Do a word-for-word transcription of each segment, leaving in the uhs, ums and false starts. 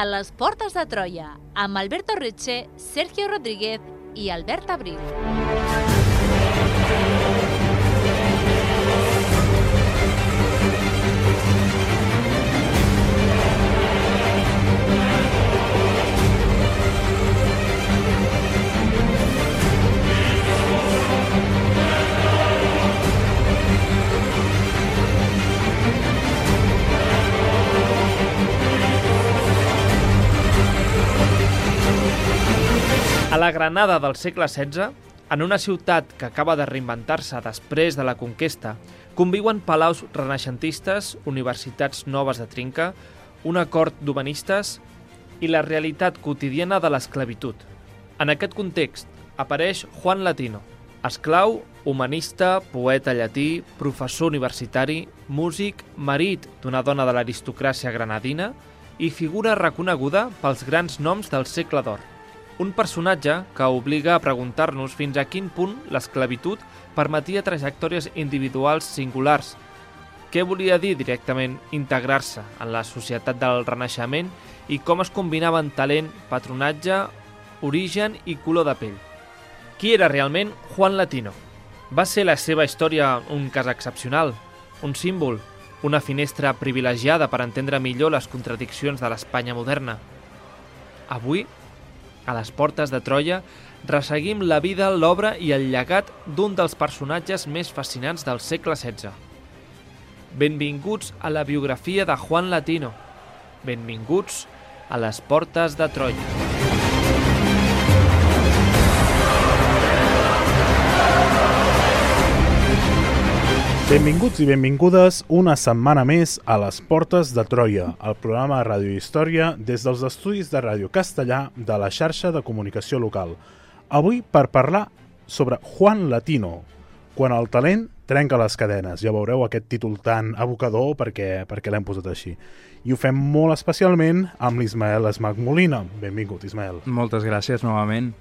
les Portes de Troia, amb Alberto Riche, Sergio Rodríguez i Albert Abril. A la Granada del segle setze, en una ciutat que acaba de reinventar-se després de la conquesta, conviuen palaus renaixentistes, universitats noves de trinca, una cort d'humanistes i la realitat quotidiana de l'esclavitud. En aquest context apareix Juan Latino, esclau, humanista, poeta llatí, professor universitari, músic, marit d'una dona de l'aristocràcia granadina i figura reconeguda pels grans noms del segle d'or. Un personatge que obliga a preguntar-nos fins a quin punt l'esclavitud permetia trajectòries individuals singulars. Què volia dir directament integrar-se en la societat del Renaixement i com es combinaven talent, patronatge, origen i color de pell. Qui era realment Juan Latino? Va ser la seva història un cas excepcional, un símbol, una finestra privilegiada per entendre millor les contradiccions de l'Espanya moderna. Avui, a les Portes de Troia, resseguim la vida, l'obra i el llegat d'un dels personatges més fascinants del segle setze. Benvinguts a la biografia de Juan Latino. Benvinguts a les Portes de Troia. Benvinguts i benvingudes una setmana més a les Portes de Troia, el programa de Ràdio Història des dels estudis de Ràdio Castellà de la xarxa de comunicació local. Avui per parlar sobre Juan Latino, quan el talent trenca les cadenes. Ja veureu aquest títol tan evocador perquè, perquè l'hem posat així. I ho fem molt especialment amb l'Ismael Esmach Molina. Benvingut, Ismael. Moltes gràcies novament.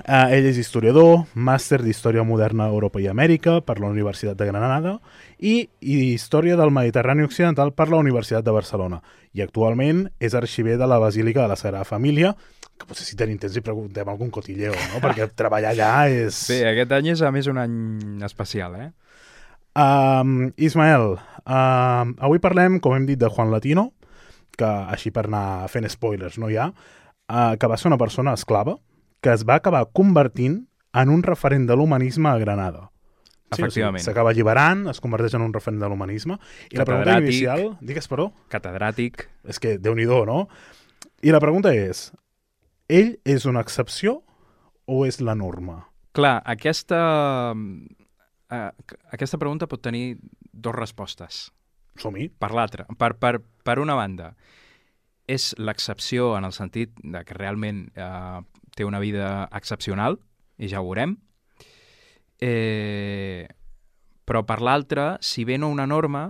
Uh, ell és historiador, màster d'Història Moderna a Europa i Amèrica per la Universitat de Granada i, i Història del Mediterrani Occidental per la Universitat de Barcelona. I actualment és arxiver de la Basílica de la Sagrada Família, que potser si tenim temps i preguntem algun cotilleo, no? Perquè treballar allà és... Sí, aquest any és a més un any especial, eh? Um, Ismael, uh, avui parlem, com hem dit, de Juan Latino, que així per anar fent spoilers, no hi ha, uh, que va ser una persona esclava, que es va acabar convertint en un referent de l'humanisme a Granada. Efectivament. Sí, s'acaba alliberant, es converteix en un referent de l'humanisme. I la pregunta inicial... Digues, perdó? Catedràtic. És que, Déu-n'hi-do, no? I la pregunta és, ell és una excepció o és la norma? Clar, aquesta, uh, aquesta pregunta pot tenir dues respostes. Som-hi. Per l'altra. Per, per, per una banda, és l'excepció en el sentit de que realment eh, té una vida excepcional, i ja ho veurem. Eh, però per l'altra, si bé no una norma,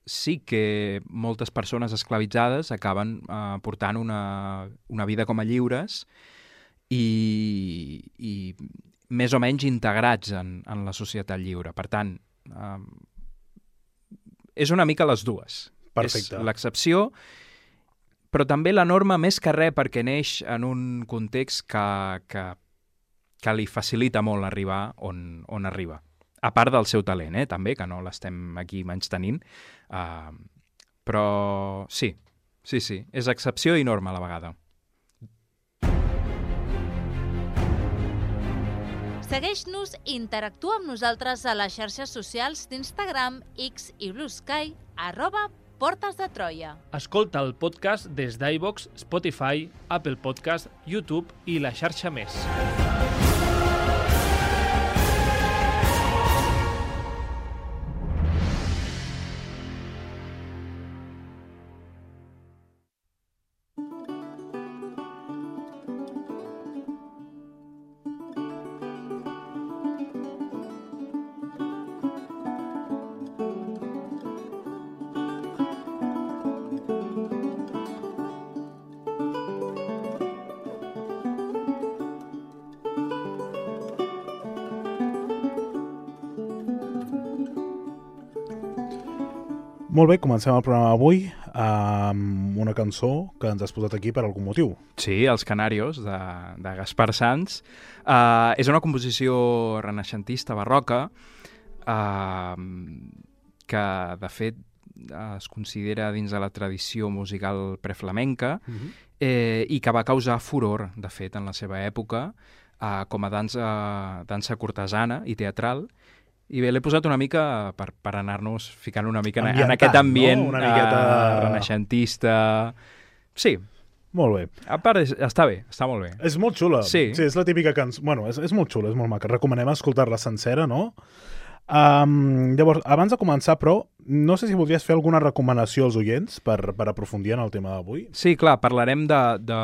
sí que moltes persones esclavitzades acaben eh, portant una, una vida com a lliures i, i més o menys integrats en, en la societat lliure. Per tant, eh, és una mica les dues. Perfecte. És l'excepció, però també la norma més que res perquè neix en un context que, que, que li facilita molt arribar on, on arriba. A part del seu talent, eh, també, que no l'estem aquí menystenint. Uh, però sí, sí, sí, és excepció i norma a la vegada. Segueix-nos i interactua amb nosaltres a les xarxes socials d'Instagram, X i Blue Sky, arroba Portes de Troia. Escolta el podcast des d'iVoox, Spotify, Apple Podcast, YouTube i la xarxa més. Molt bé, comencem el programa avui. amb una cançó que ens has posat aquí per algun motiu. Sí, Els Canarios, de, de Gaspar Sanz. Uh, és una composició renaixentista barroca uh, que, de fet, es considera dins de la tradició musical preflamenca uh-huh. eh, i que va causar furor, de fet, en la seva època, uh, com a dansa, dansa cortesana i teatral. I bé, l'he posat una mica per, per anar-nos ficant una mica en, en aquest ambient, no? Una miqueta uh, renaixentista. Sí. Molt bé. A part, és, està bé, està molt bé. És molt xula. Sí. Sí, és la típica cançó. Bueno, és, és molt xula, és molt maca. Recomanem escoltar-la sencera, no? Um, llavors, abans de començar, però, no sé si voldries fer alguna recomanació als oients per, per aprofundir en el tema d'avui. Sí, clar, parlarem de... de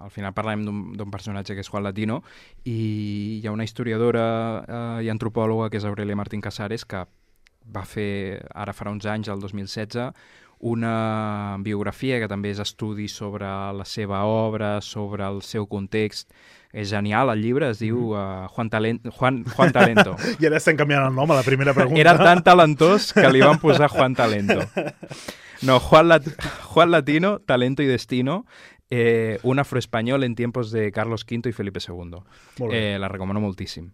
al final parlarem d'un personatge que és Juan Latino i hi ha una historiadora eh, i antropòloga que és Aurelia Martín Casares que va fer, ara farà uns anys, el dos mil setze, una biografia que també és estudi sobre la seva obra, sobre el seu context. És genial, el llibre es diu uh, Juan, Talent, Juan, Juan Talento. I ara estem canviant el nom a la primera pregunta. Era tan talentós que li van posar Juan Talento. No, Juan, Lat Juan Latino, Talento y Destino, eh, un afroespanyol en tiempos de Carlos quinto y Felipe segundo. Eh, la recomano moltíssim.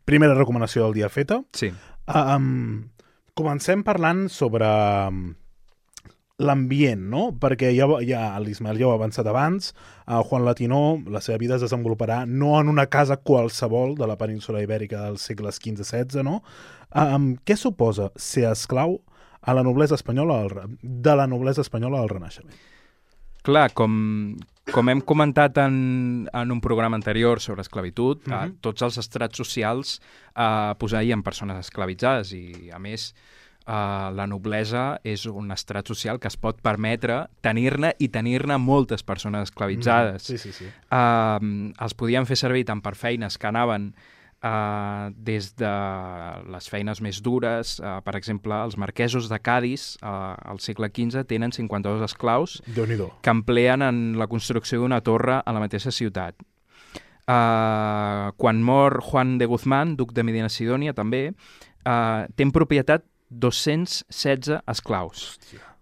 Primera recomanació del dia feta. Sí. Um, comencem parlant sobre l'ambient, no? Perquè ja, ja l'Ismael ja ho ha avançat abans, uh, Juan Latino, la seva vida es desenvoluparà no en una casa qualsevol de la península ibèrica dels segles quinze setze, no? Um, què suposa ser esclau a la noblesa espanyola al, de la noblesa espanyola al Renaixement? Clar, com, com hem comentat en, en un programa anterior sobre esclavitud, uh-huh. eh, tots els estrats socials eh, posseïen persones esclavitzades i, a més, Uh, la noblesa és un estrat social que es pot permetre tenir-ne i tenir-ne moltes persones esclavitzades. Mm, sí, sí, sí. Uh, els podien fer servir tant per feines que anaven uh, des de les feines més dures. Uh, per exemple, els marquesos de Cadis uh, al segle quinze tenen cinquanta-dos esclaus que empleen en la construcció d'una torre a la mateixa ciutat. Uh, quan mor Juan de Guzmán, duc de Medina Sidònia, també, uh, té en propietat dos-cents setze esclaus,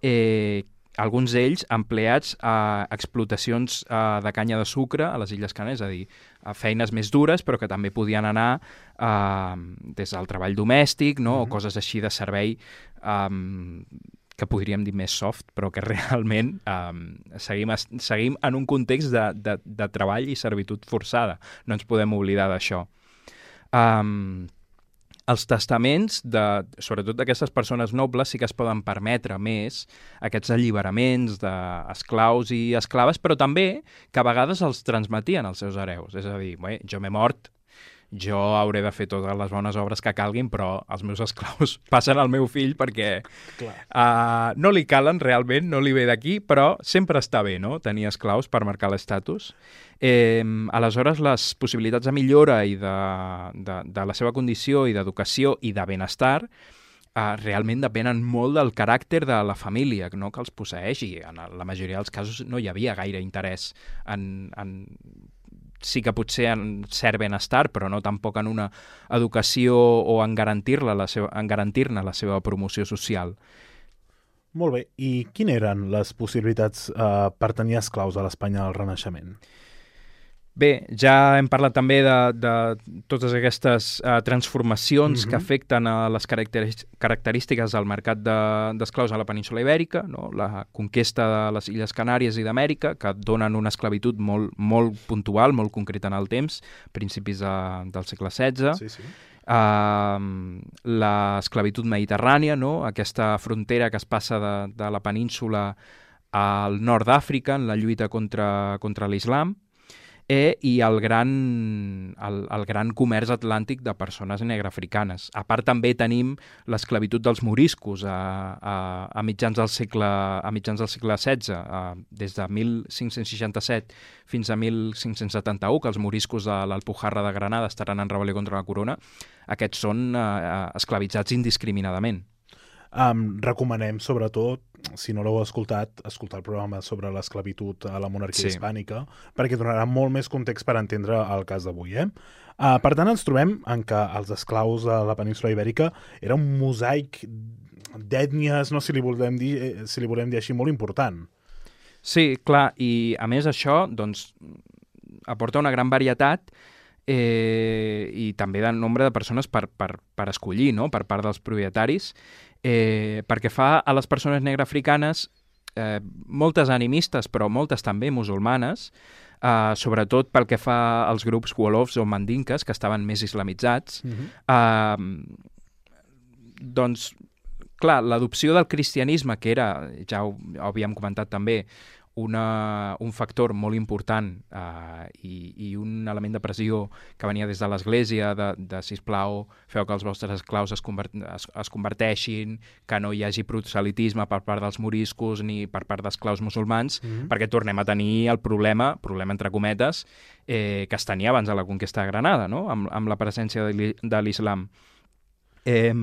eh, alguns d'ells empleats a explotacions eh, de canya de sucre a les Illes Canàries, és a dir, a feines més dures, però que també podien anar eh, des del treball domèstic, no? Mm-hmm. O coses així de servei eh, que podríem dir més soft, però que realment eh, seguim, seguim en un context de, de, de treball i servitud forçada. No ens podem oblidar d'això. Um, Els testaments, de, sobretot d'aquestes persones nobles, sí que es poden permetre més aquests alliberaments d'esclaus i esclaves, però també que a vegades els transmetien als seus hereus. És a dir, bé, jo m'he mort, jo hauré de fer totes les bones obres que calguin, però els meus esclaus passen al meu fill perquè uh, no li calen realment, no li ve d'aquí, però sempre està bé, no?, tenir esclaus per marcar l'estatus. Eh, aleshores, les possibilitats de millora i de, de, de la seva condició i d'educació i de benestar eh, realment depenen molt del caràcter de la família, no?, que els posseeix, i en la majoria dels casos no hi havia gaire interès en... en sí que potser en cert benestar, però no tampoc en una educació o en garantir-ne la, seva, en garantir-ne la seva promoció social. Molt bé. I quines eren les possibilitats eh, per tenir esclaus a l'Espanya del Renaixement? Bé, ja hem parlat també de, de totes aquestes uh, transformacions mm-hmm. que afecten a les característiques del mercat d'esclaus de, a la península ibèrica, no? La conquesta de les Illes Canàries i d'Amèrica, que donen una esclavitud molt, molt puntual, molt concreta en el temps, principis de, del segle setze. Sí, sí. Uh, l'esclavitud mediterrània, no? Aquesta frontera que es passa de, de la península al nord d'Àfrica en la lluita contra, contra l'islam. Eh, i el gran, el, el gran comerç atlàntic de persones negrafricanes. A part també tenim l'esclavitud dels moriscos a, a, a, mitjans del segle, a mitjans del segle setze, a, des de mil cinc-cents seixanta-set fins a mil cinc-cents setanta-u, que els moriscos de l'Alpujarra de Granada estaran en rebel·lió contra la corona. Aquests són eh, esclavitzats indiscriminadament. Um, recomanem, sobretot, si no l'heu escoltat, escoltar el programa sobre l'esclavitud a la monarquia sí. hispànica, perquè donarà molt més context per entendre el cas d'avui. Eh? Uh, per tant, ens trobem en què els esclaus a la península ibèrica era un mosaic d'ètnies, no si li volem dir, eh, si li volem dir així, molt important. Sí, clar, i a més això doncs, aporta una gran varietat eh, i també de nombre de persones per, per, per escollir, no?, per part dels propietaris, eh, perquè fa a les persones negreafricanes, eh, moltes animistes, però moltes també musulmanes, eh, sobretot pel que fa als grups wolofs o mandinques, que estaven més islamitzats, uh-huh. eh, doncs, clar, l'adopció del cristianisme, que era, ja ho, ho havíem comentat també, una, un factor molt important eh, i, i un element de pressió que venia des de l'Església, de, de sisplau, feu que els vostres esclaus es, convert, es, es converteixin, que no hi hagi proselitisme per part dels moriscos ni per part d'esclaus musulmans, mm-hmm. perquè tornem a tenir el problema, problema entre cometes, eh, que es tenia abans de la conquesta de Granada, no?, amb, amb la presència de l'islam. Eh,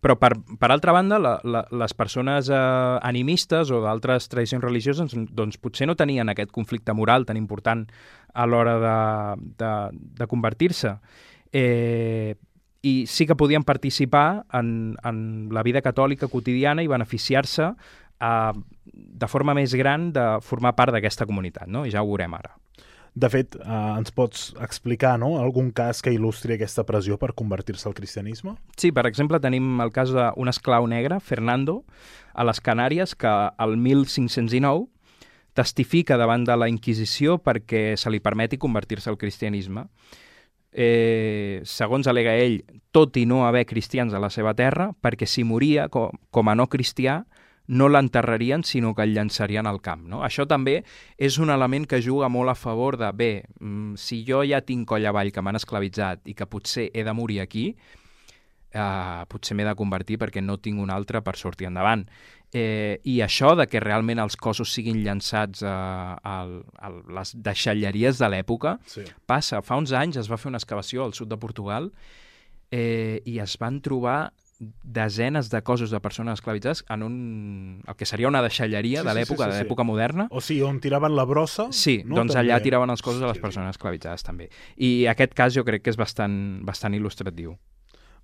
però, per, per altra banda, la, la, les persones eh, animistes o d'altres tradicions religioses doncs, potser no tenien aquest conflicte moral tan important a l'hora de, de, de convertir-se. Eh, I sí que podien participar en, en la vida catòlica quotidiana i beneficiar-se eh, de forma més gran de formar part d'aquesta comunitat, no? I ja ho veurem ara. De fet, eh, ens pots explicar, no?, algun cas que il·lustri aquesta pressió per convertir-se al cristianisme? Sí, per exemple, tenim el cas d'un esclau negre, Fernando, a les Canàries, que el mil cinc-cents dinou testifica davant de la Inquisició perquè se li permeti convertir-se al cristianisme. Eh, segons alega ell, tot i no haver cristians a la seva terra, perquè si moria com, com a no cristià, no l'enterrarien, sinó que el llançarien al camp, no? Això també és un element que juga molt a favor de, bé, si jo ja tinc coll avall que m'han esclavitzat i que potser he de morir aquí, eh, potser m'he de convertir perquè no tinc un altre per sortir endavant. Eh, I això de que realment els cossos siguin llançats a, a, a les deixalleries de l'època, sí. Passa. Fa uns anys es va fer una excavació al sud de Portugal eh, i es van trobar desenes de cossos de persones esclavitzades en un, el que seria una deixalleria sí, de l'època, sí, sí, sí, de l'època sí. moderna. O sigui, on tiraven la brossa. Sí, no? Doncs també. Allà tiraven els cossos de les sí, persones sí. esclavitzades també. I aquest cas jo crec que és bastant, bastant il·lustratiu.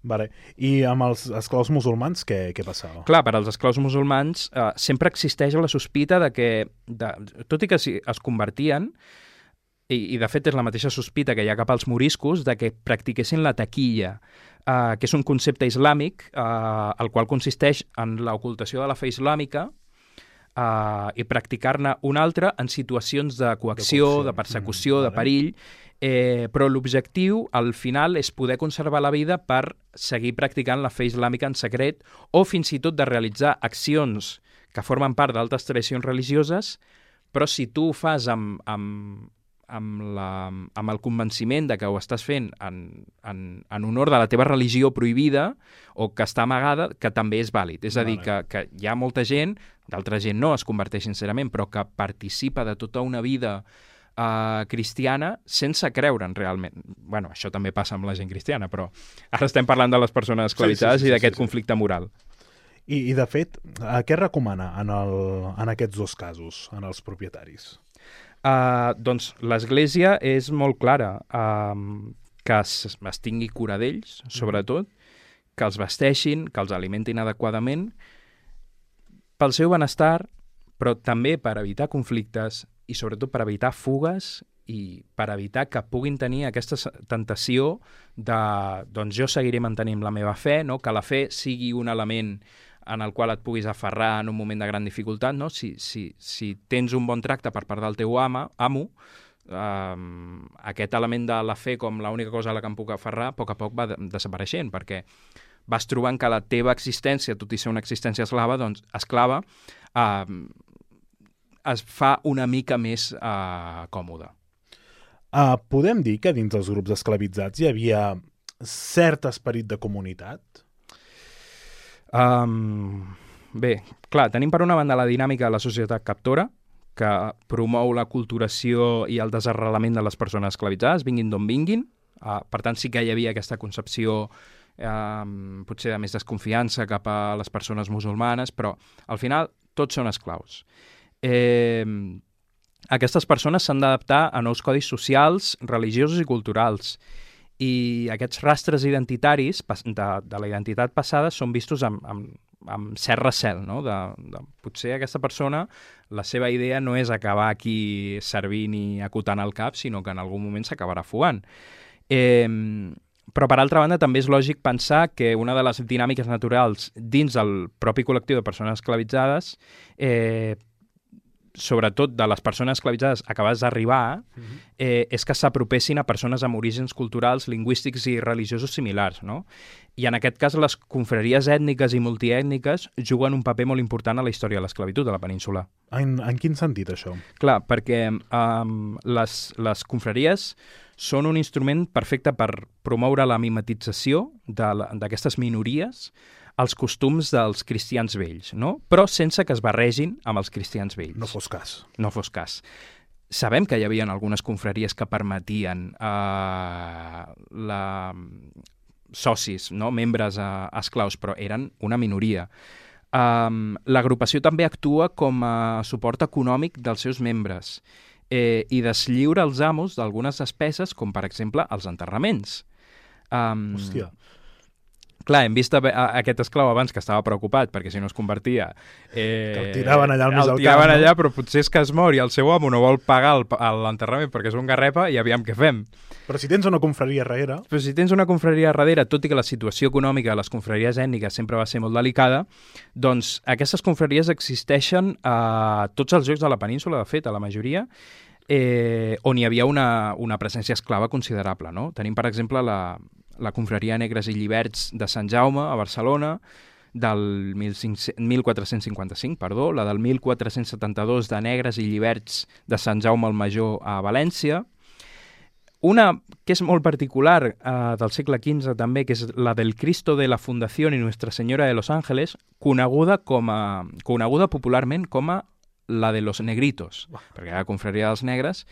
Vale. I amb els esclaus musulmans què, què passava? Clar, per als esclaus musulmans eh, sempre existeix la sospita de que, de, tot i que si es convertien, i, i de fet és la mateixa sospita que hi ha cap als moriscos, de que practiquessin la taquilla, Uh, que és un concepte islàmic, uh, el qual consisteix en l'ocultació de la fe islàmica uh, i practicar-ne una altra en situacions de coacció, de, de persecució, mm, de perill, eh, però l'objectiu, al final, és poder conservar la vida per seguir practicant la fe islàmica en secret o fins i tot de realitzar accions que formen part d'altres tradicions religioses, però si tu ho fas amb... amb Amb, la, amb el convenciment de que ho estàs fent en, en, en honor de la teva religió prohibida o que està amagada, que també és vàlid. És a dir, que, que hi ha molta gent, d'altra gent no es converteix sincerament, però que participa de tota una vida uh, cristiana sense creure'n realment. Bueno, això també passa amb la gent cristiana, però ara estem parlant de les persones esclavitzades sí, sí, sí, i d'aquest sí, sí, conflicte sí. moral. I, I, de fet, uh, què recomana en, el, en aquests dos casos, en els propietaris? Uh, doncs l'Església és molt clara, uh, que es, es tingui cura d'ells, sobretot, que els vesteixin, que els alimentin adequadament, pel seu benestar, però també per evitar conflictes i sobretot per evitar fugues i per evitar que puguin tenir aquesta tentació de, doncs jo seguiré mantenint la meva fe, no? Que la fe sigui un element en el qual et puguis aferrar en un moment de gran dificultat, no? Si, si, si tens un bon tracte per part del teu ama, amo, eh, aquest element de la fe com l'única cosa a la que em puc aferrar, a poc a poc va desapareixent, perquè vas trobant que la teva existència, tot i ser una existència eslava, doncs, esclava, eh, es fa una mica més eh, còmoda. Uh, podem dir que dins dels grups esclavitzats hi havia cert esperit de comunitat? Um, bé, clar, tenim per una banda la dinàmica de la societat captora, que promou la culturació i el desarrelament de les persones esclavitzades, vinguin d'on vinguin. Uh, per tant, sí que hi havia aquesta concepció um, potser de més desconfiança cap a les persones musulmanes, però al final tots són esclaus. Eh, aquestes persones s'han d'adaptar a nous codis socials, religiosos i culturals. I aquests rastres identitaris de, de la identitat passada són vistos amb, amb, amb cert recel, no? De, de, potser aquesta persona, la seva idea no és acabar aquí servint i acotant el cap, sinó que en algun moment s'acabarà fugant. Eh, però, per altra banda, també és lògic pensar que una de les dinàmiques naturals dins del propi col·lectiu de persones esclavitzades, eh, sobretot de les persones esclavitzades acabades d'arribar, uh-huh. eh, és que s'apropessin a persones amb orígens culturals, lingüístics i religiosos similars, no? I en aquest cas les confraries ètniques i multiètniques juguen un paper molt important a la història de l'esclavitud de la península. En, en quin sentit, això? Clar, perquè um, les, les confraries són un instrument perfecte per promoure la mimetització d'aquestes minories els costums dels cristians vells, no? Però sense que es barregin amb els cristians vells. No fos cas. No fos cas. Sabem que hi havia algunes confraries que permetien eh, la... socis, no? Membres eh, esclaus, però eren una minoria. Um, L'agrupació també actua com a suport econòmic dels seus membres eh, i deslliura els amos d'algunes despeses, com per exemple els enterraments. Um, Hòstia. Clar, hem vist a, a, aquest esclau abans que estava preocupat perquè si no es convertia... Eh, que el tiraven allà al mig del camp. El tiraven allà, no? Però potser és que es mor i el seu amo no vol pagar l'enterrament perquè és un garrepa i aviam què fem. Però si tens una confraria darrere... Però si tens una confraria darrere, tot i que la situació econòmica de les confraries ètniques sempre va ser molt delicada, doncs aquestes confraries existeixen a tots els llocs de la península, de fet, a la majoria, eh, on hi havia una, una presència esclava considerable, no? Tenim, per exemple, la... la confraria Negres i Lliberts de Sant Jaume, a Barcelona, del mil quatre-cents cinquanta-cinc, perdó, la del mil quatre-cents setanta-dos de Negres i Lliberts de Sant Jaume el Major a València. Una que és molt particular eh, del segle quinze també, que és la del Cristo de la Fundación y Nuestra Señora de los Ángeles, coneguda, com a, coneguda popularment com a la de los Negritos, perquè era la confraria dels negres.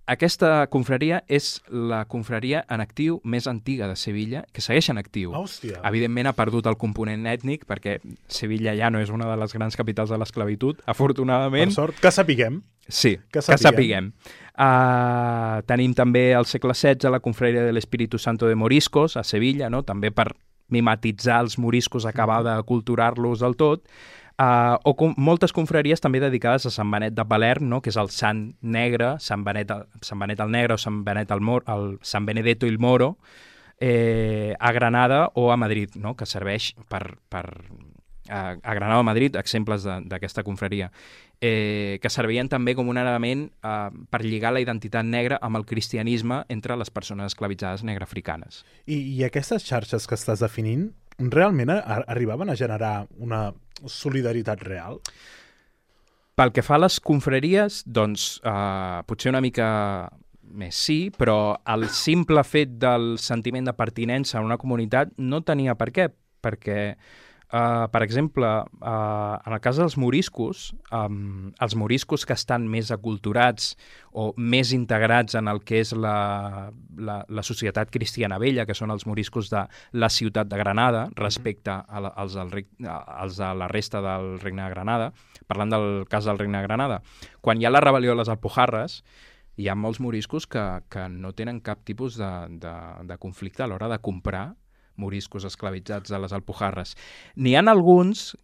Aquesta confraria és la confraria en actiu més antiga de Sevilla, que segueix en actiu. Hòstia. Evidentment ha perdut el component ètnic, perquè Sevilla ja no és una de les grans capitals de l'esclavitud, afortunadament. Per sort, que sapiguem. Sí, que sapiguem. Que sapiguem. Uh, tenim també al segle setze la confraria de l'Espíritu Santo de Moriscos, a Sevilla, no? També per mimetitzar els moriscos, acabar d'aculturar-los del tot. Uh, o com moltes confraries també dedicades a Sant Benet de Palerm, no? Que és el Sant Negre, Sant Benet, Sant Benet el Negre o Sant Benet el Mor, el Sant Benedetto il Moro, eh, a Granada o a Madrid, no? Que serveix per, per a, a Granada o a Madrid, exemples d'aquesta confraria, eh, que servien també com un element eh, per lligar la identitat negra amb el cristianisme entre les persones esclavitzades negreafricanes. I, I aquestes xarxes que estàs definint realment a, arribaven a generar una solidaritat real? Pel que fa a les confraries, doncs eh, potser una mica més sí, però el simple fet del sentiment de pertinença a una comunitat no tenia per què, perquè Uh, per exemple, uh, en el cas dels moriscos, um, els moriscos que estan més aculturats o més integrats en el que és la, la, la societat cristiana vella, que són els moriscos de la ciutat de Granada, respecte a la, als, del, als de la resta del Regne de Granada, parlant del cas del Regne de Granada, quan hi ha la rebel·lió de les Alpujarres, hi ha molts moriscos que, que no tenen cap tipus de, de, de conflicte a l'hora de comprar moriscos esclavitzats a les Alpujarres. N'hi ha alguns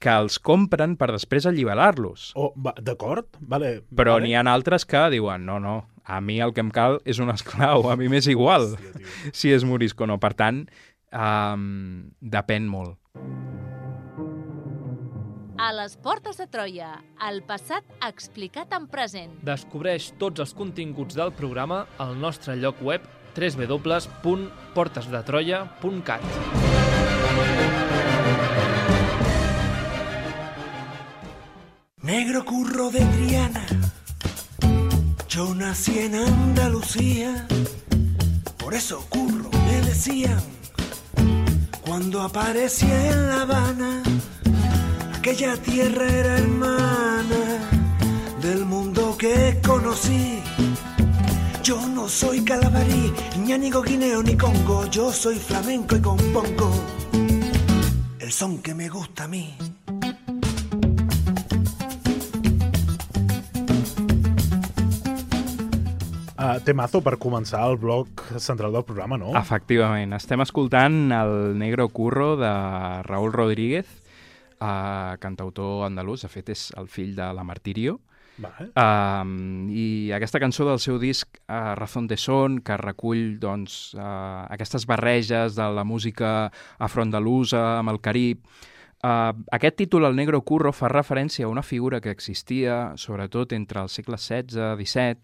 que els compren per després alliberar-los. Oh, d'acord, vale. Però vale. N'hi ha altres que diuen, no, no, a mi el que em cal és un esclau, a mi m'és igual. Hòstia, si és morisco o no. Per tant, um, depèn molt. A les portes de Troia, el passat explicat en present. Descobreix tots els continguts del programa al nostre lloc web w w w punt portes de troia punt cat. Negro curro de Triana, yo nací en Andalucía, por eso curro me decían, cuando aparecía en La Habana, aquella tierra era hermana del mundo que conocí. Yo no soy calabarí, ñánigo, guineo ni congo, yo soy flamenco y compongo el son que me gusta a mí. Uh, temazo per començar el bloc central del programa, no? Efectivament. Estem escoltant el Negro Curro de Raúl Rodríguez, uh, cantautor andalús. De fet, és el fill de la Martirio. Vale. Uh, I aquesta cançó del seu disc uh, Razón de Son, que recull doncs, uh, aquestes barreges de la música afroandalusa amb el Carib. Uh, aquest títol, el Negro Curro, fa referència a una figura que existia, sobretot entre els segles setze i disset,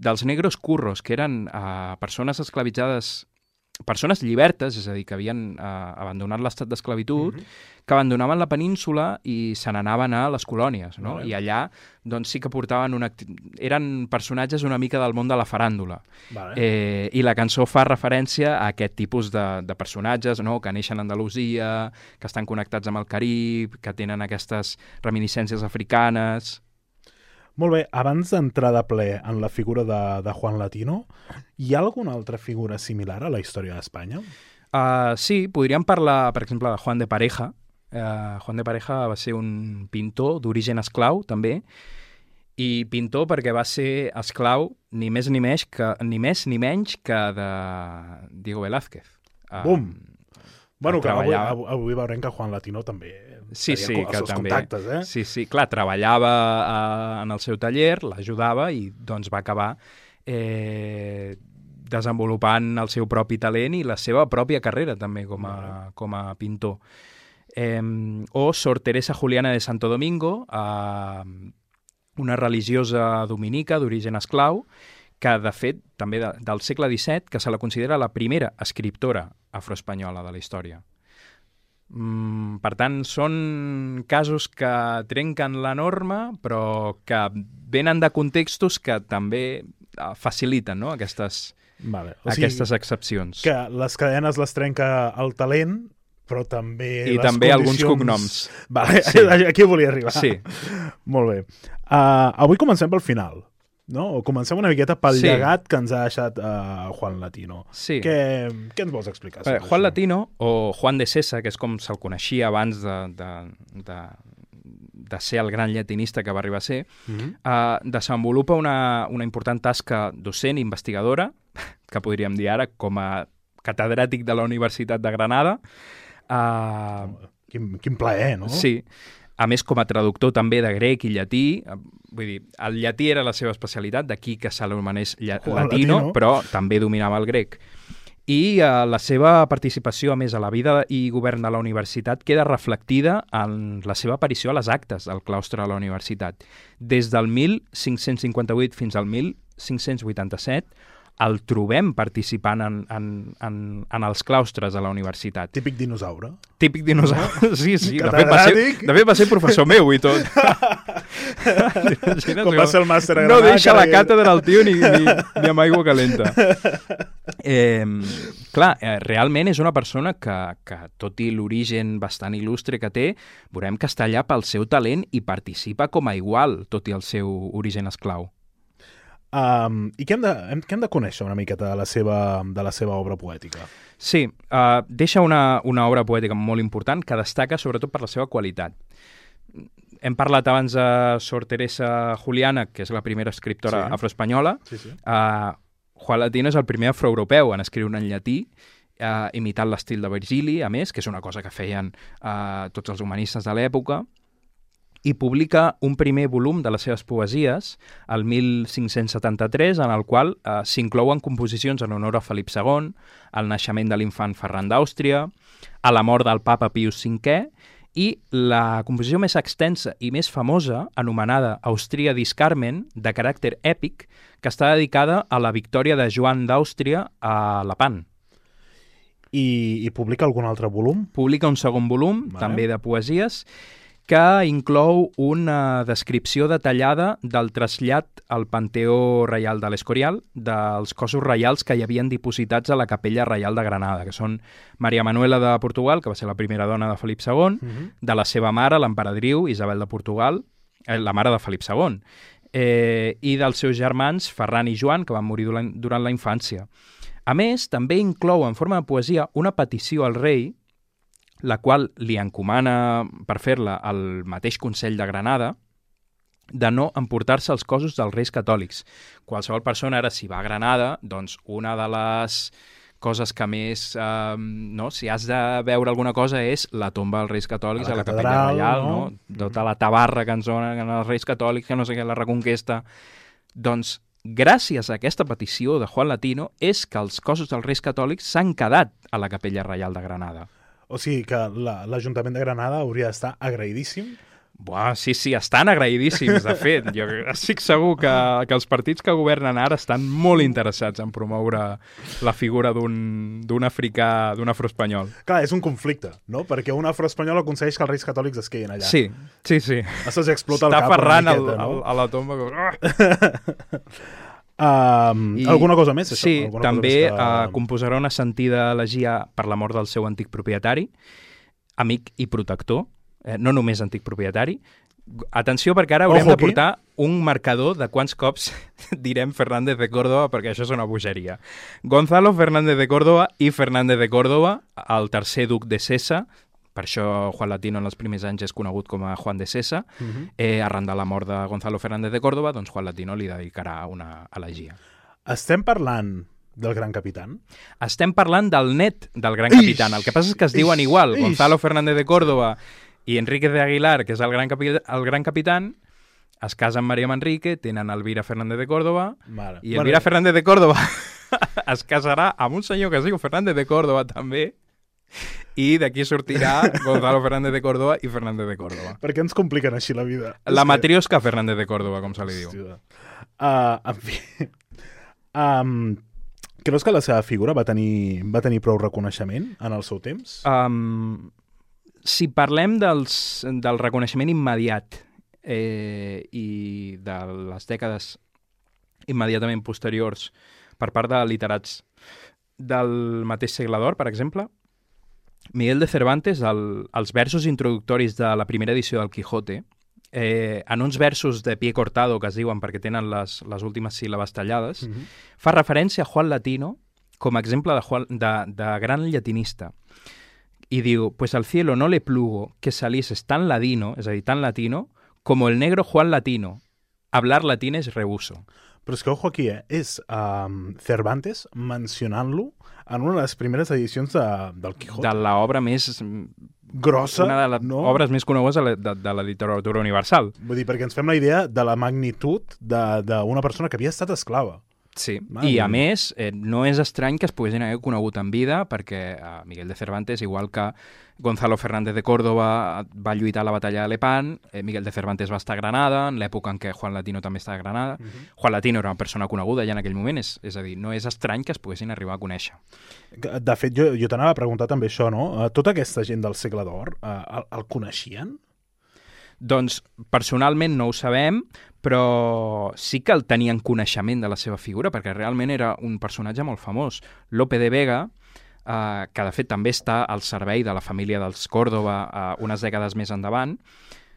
dels negros curros, que eren uh, persones esclavitzades, persones llibertes, és a dir, que havien uh, abandonat l'estat d'esclavitud, mm-hmm. que abandonaven la península i se n'anaven a les colònies, no? Vale. I allà doncs, sí que portaven una... eren personatges una mica del món de la faràndula. Vale. Eh, I la cançó fa referència a aquest tipus de, de personatges, no? Que neixen a Andalusia, que estan connectats amb el Carib, que tenen aquestes reminiscències africanes... Molt bé, abans d'entrar de ple en la figura de, de Juan Latino, hi ha alguna altra figura similar a la història d'Espanya? Uh, sí, podríem parlar, per exemple, de Juan de Pareja. Uh, Juan de Pareja va ser un pintor d'origen esclau, també, i pintor perquè va ser esclau ni més ni menys que, ni més ni menys que de Diego Velázquez. Uh, Bum! Bueno, que avui, treballava... avui veurem que Juan Latino també sí, sí, els que seus també. contactes, eh? Sí, sí, clar, treballava uh, en el seu taller, l'ajudava i doncs va acabar eh, desenvolupant el seu propi talent i la seva pròpia carrera també com a, com a pintor. Eh, o Sor Teresa Juliana de Santo Domingo, uh, una religiosa dominica d'origen esclau, que de fet, també de, del segle disset, que se la considera la primera escriptora afroespanyola de la història. Mm, per tant, són casos que trenquen la norma, però que venen de contextos que també faciliten, no? aquestes, vale. O sigui, aquestes excepcions. Que les cadenes les trenca el talent, però també I les també condicions... alguns cognoms. Vale, Sí. Aquí volia arribar. Sí. Molt bé. Uh, avui comencem pel final. No? O comencem una miqueta pel Sí. llegat que ens ha deixat uh, Juan Latino. Sí. Què, què ens vols explicar? Bé, sobre Juan això? Latino, o Juan de Sesa, que és com se'l coneixia abans de, de, de, de ser el gran llatinista que va arribar a ser, Mhm. uh, desenvolupa una, una important tasca docent i investigadora, que podríem dir ara com a catedràtic de la Universitat de Granada. Uh, Quin, quin plaer, no? Sí. A més, com a traductor també de grec i llatí, eh, vull dir, el llatí era la seva especialitat, d'aquí que se l'anomenés lla- Juan latino, Latino. però també dominava el grec. I eh, la seva participació, a més, a la vida i govern de la universitat queda reflectida en la seva aparició a les actes del claustre de la universitat. Des del mil cinc-cents cinquanta-vuit fins al mil cinc-cents vuitanta-set, el trobem participant en, en, en, en els claustres de la universitat. Típic dinosaure. Típic dinosaure. Sí, sí. De fet, va ser, Catedràtic. de fet, va ser professor meu i tot. Imagina't, Com va ser el màster a no Granada, deixa la que- càtedra el tio ni, ni, ni amb aigua calenta. Eh, clar, eh, realment és una persona que, que tot i l'origen bastant il·lustre que té, veurem que està allà pel seu talent i participa com a igual, tot i el seu origen esclau. Um, I què hem, de, hem, què hem de conèixer una miqueta de la seva, de la seva obra poètica? Sí, uh, deixa una, una obra poètica molt important que destaca sobretot per la seva qualitat. Hem parlat abans de Sor Teresa Juliana, que és la primera escriptora Sí. afroespanyola. Sí, sí. Uh, Juan Latino és el primer afroeuropeu en escriure en llatí, uh, imitant l'estil de Virgili, a més, que és una cosa que feien uh, tots els humanistes de l'època, i publica un primer volum de les seves poesies, el mil cinc-cents setanta-tres, en el qual eh, s'inclouen composicions en honor a Felip segon, al naixement de l'infant Ferran d'Àustria, a la mort del papa Pius cinquè, i la composició més extensa i més famosa, anomenada Austriadis Carmen, de caràcter èpic, que està dedicada a la victòria de Joan d'Àustria a Lepant. I, I publica algun altre volum? Publica un segon volum, Vale. també de poesies, que inclou una descripció detallada del trasllat al Panteó Reial de l'Escorial dels cossos reials que hi havien dipositats a la Capella Reial de Granada, que són Maria Manuela de Portugal, que va ser la primera dona de Felip segon, Mhm. de la seva mare, l'emperadriu Isabel de Portugal, eh, la mare de Felip segon, eh, i dels seus germans Ferran i Joan, que van morir durant, durant la infància. A més, també inclou en forma de poesia una petició al rei, la qual li encomana per fer-la al mateix Consell de Granada, de no emportar-se els cossos dels Reis Catòlics. Qualsevol persona, ara, si va a Granada, doncs una de les coses que més, eh, no? si has de veure alguna cosa és la tomba dels Reis Catòlics a la, a la Capella catedral, Reial, no? no? Tota la tabarra que ens donen els Reis Catòlics, que no sé què, la Reconquesta. Doncs, gràcies a aquesta petició de Juan Latino, és que els cossos dels Reis Catòlics s'han quedat a la Capella Reial de Granada. O sigui que l'Ajuntament de Granada hauria d'estar agraïdíssim. Buah, sí, sí, estan agraïdíssims, de fet. Jo estic segur que, que els partits que governen ara estan molt interessats en promoure la figura d'un africà, d'un afroespanyol. Clar, és un conflicte, no? Perquè un afroespanyol aconsegueix que els Reis Catòlics es quedin allà. Sí, sí, sí. Això s'explota el Està cap una ferrant miqueta, el, no? el, a la tomba. Com... Um, I, alguna cosa més? Això? Sí, alguna també cosa més que... uh, composarà una sentida elegia per la mort del seu antic propietari, amic i protector, eh, no només antic propietari. Atenció, perquè ara haurem Ojo de aquí. portar un marcador de quants cops direm Fernández de Córdoba, perquè això és una bogeria. Gonzalo Fernández de Córdoba i Fernández de Córdoba, el tercer duc de Sessa, per això Juan Latino en els primers anys és conegut com a Juan de Sessa, uh -huh. eh, arran de la mort de Gonzalo Fernández de Córdoba, doncs Juan Latino li dedicarà una elegia. Estem parlant del Gran Capitán? Estem parlant del net del Gran Capitán. El que passa és que es diuen ix, igual. ix. Gonzalo Fernández de Córdoba i Enrique de Aguilar, que és el Gran, Capi el Gran Capitán, es casen amb Maria Manrique, tenen Elvira Fernández de Córdoba, Mare. i Elvira bueno. Fernández de Córdoba es casarà amb un senyor que es diu Fernández de Córdoba també, i d'aquí sortirà Gonzalo Fernández de Córdoba i Fernández de Córdoba. Per què ens compliquen així la vida? La És matriosca que... Fernández de Córdoba, com se li diu. Hòstia. Uh, en fi... Um, creus que la seva figura va tenir, va tenir prou reconeixement en el seu temps? Um, si parlem dels, del reconeixement immediat eh, i de les dècades immediatament posteriors per part de literats del mateix segle d'or, per exemple, Miguel de Cervantes, el, els versos introductoris de la primera edició del Quijote, eh, en uns versos de pie cortado, que es diuen perquè tenen les, les últimes síl·labes tallades, Mm-hmm. fa referència a Juan Latino com a exemple de, Juan, de, de gran llatinista. I diu, pues al cielo no le plugo que salieses tan ladino, és a dir, tan latino, como el negro Juan Latino. Hablar latín es rehuso. Però és que, ojo aquí, eh? és um, Cervantes mencionant-lo en una de les primeres edicions de, del Quijote. De l'obra més... Grossa, una de les no? obres més conegudes de la, de, de la literatura universal. Vull dir, perquè ens fem la idea de la magnitud d'una persona que havia estat esclava. Sí, Mare i a mia. més, eh, no és estrany que es poguessin haver conegut en vida, perquè eh, Miguel de Cervantes, igual que Gonzalo Fernández de Córdoba va lluitar a la batalla de Lepant, eh, Miguel de Cervantes va estar a Granada, en l'època en què Juan Latino també estava a Granada. Uh -huh. Juan Latino era una persona coneguda ja en aquell moment, és, és a dir, no és estrany que es poguessin arribar a conèixer. De fet, jo, jo t'anava a preguntar també això, no? Tota aquesta gent del segle d'or, eh, el, el coneixien? Doncs, personalment no ho sabem, però sí que el tenien coneixement de la seva figura, perquè realment era un personatge molt famós. Lope de Vega, eh, que de fet també està al servei de la família dels Córdoba eh, unes dècades més endavant,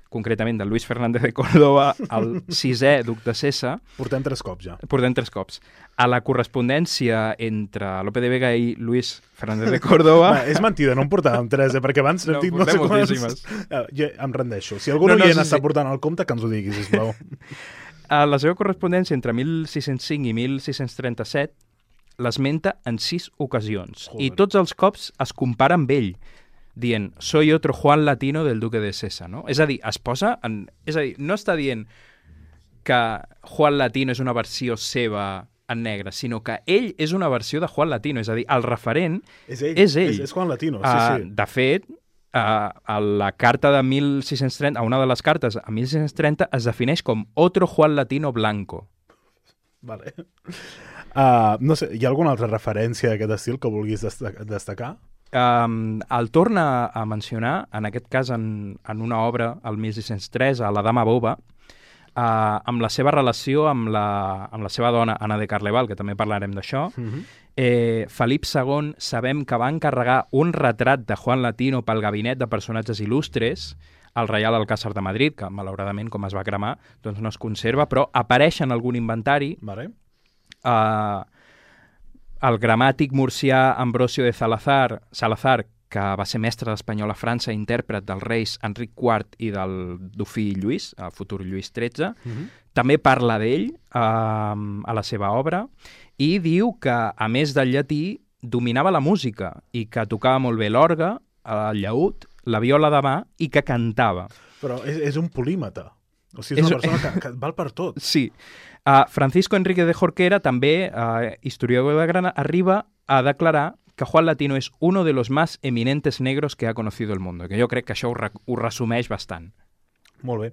concretament de Luis Fernández de Córdoba, el sisè duc de Sessa. Portem tres cops ja. Portem tres cops. A la correspondència entre Lope de Vega i Luis Fernández de Córdoba... Va, és mentida, no en portàvem tres, eh? Perquè abans... No, dit portem sé quants... moltíssimes. Uh, ja, em rendeixo. Si algú No, no, no, no sí, està sí. portant el compte, que ens ho digui, sisplau. A la seva correspondència entre mil sis-cents cinc i mil sis-cents trenta-set l'esmenta en sis ocasions. Joder. I tots els cops es compara amb ell, dient, soy otro Juan Latino del duque de Sessa, no? És a dir, es posa en... És a dir, no està dient que Juan Latino és una versió seva en negre, sinó que ell és una versió de Juan Latino, és a dir, el referent és ell. és ell. És, és Juan Latino, sí, Uh, sí. de fet, uh, a la carta de mil sis-cents trenta, a una de les cartes, a mil sis-cents trenta, es defineix com otro Juan Latino blanco. Vale. Uh, no sé, hi ha alguna altra referència d'aquest estil que vulguis destac destacar? Um, el torna a mencionar, en aquest cas en, en una obra, el mil sis-cents tres, a La dama boba, uh, amb la seva relació amb la, amb la seva dona, Anna de Carleval, que també parlarem d'això. Uh -huh. eh, Felip segon sabem que va encarregar un retrat de Juan Latino pel gabinet de personatges il·lustres al Reial Alcázar de Madrid, que malauradament, com es va cremar, doncs no es conserva, però apareix en algun inventari. Vale. Uh, el gramàtic murcià Ambrosio de Salazar, Salazar que va ser mestre d'espanyol a França, intèrpret dels reis Enric quart i del dofí Lluís, el futur Lluís tretze. Mm-hmm. També parla d'ell eh, a la seva obra i diu que, a més del llatí, dominava la música i que tocava molt bé l'orgue, el llaüt, la viola de mà i que cantava. Però és, és un polímata. O sigui, és, és una persona que, que val per tot. Sí. Uh, Francisco Enrique de Jorquera, també uh, historiador de Granada, arriba a declarar que Juan Latino és uno de los más eminentes negros que ha conocido el mundo, que jo crec que això ho, re ho resumeix bastant. Molt bé.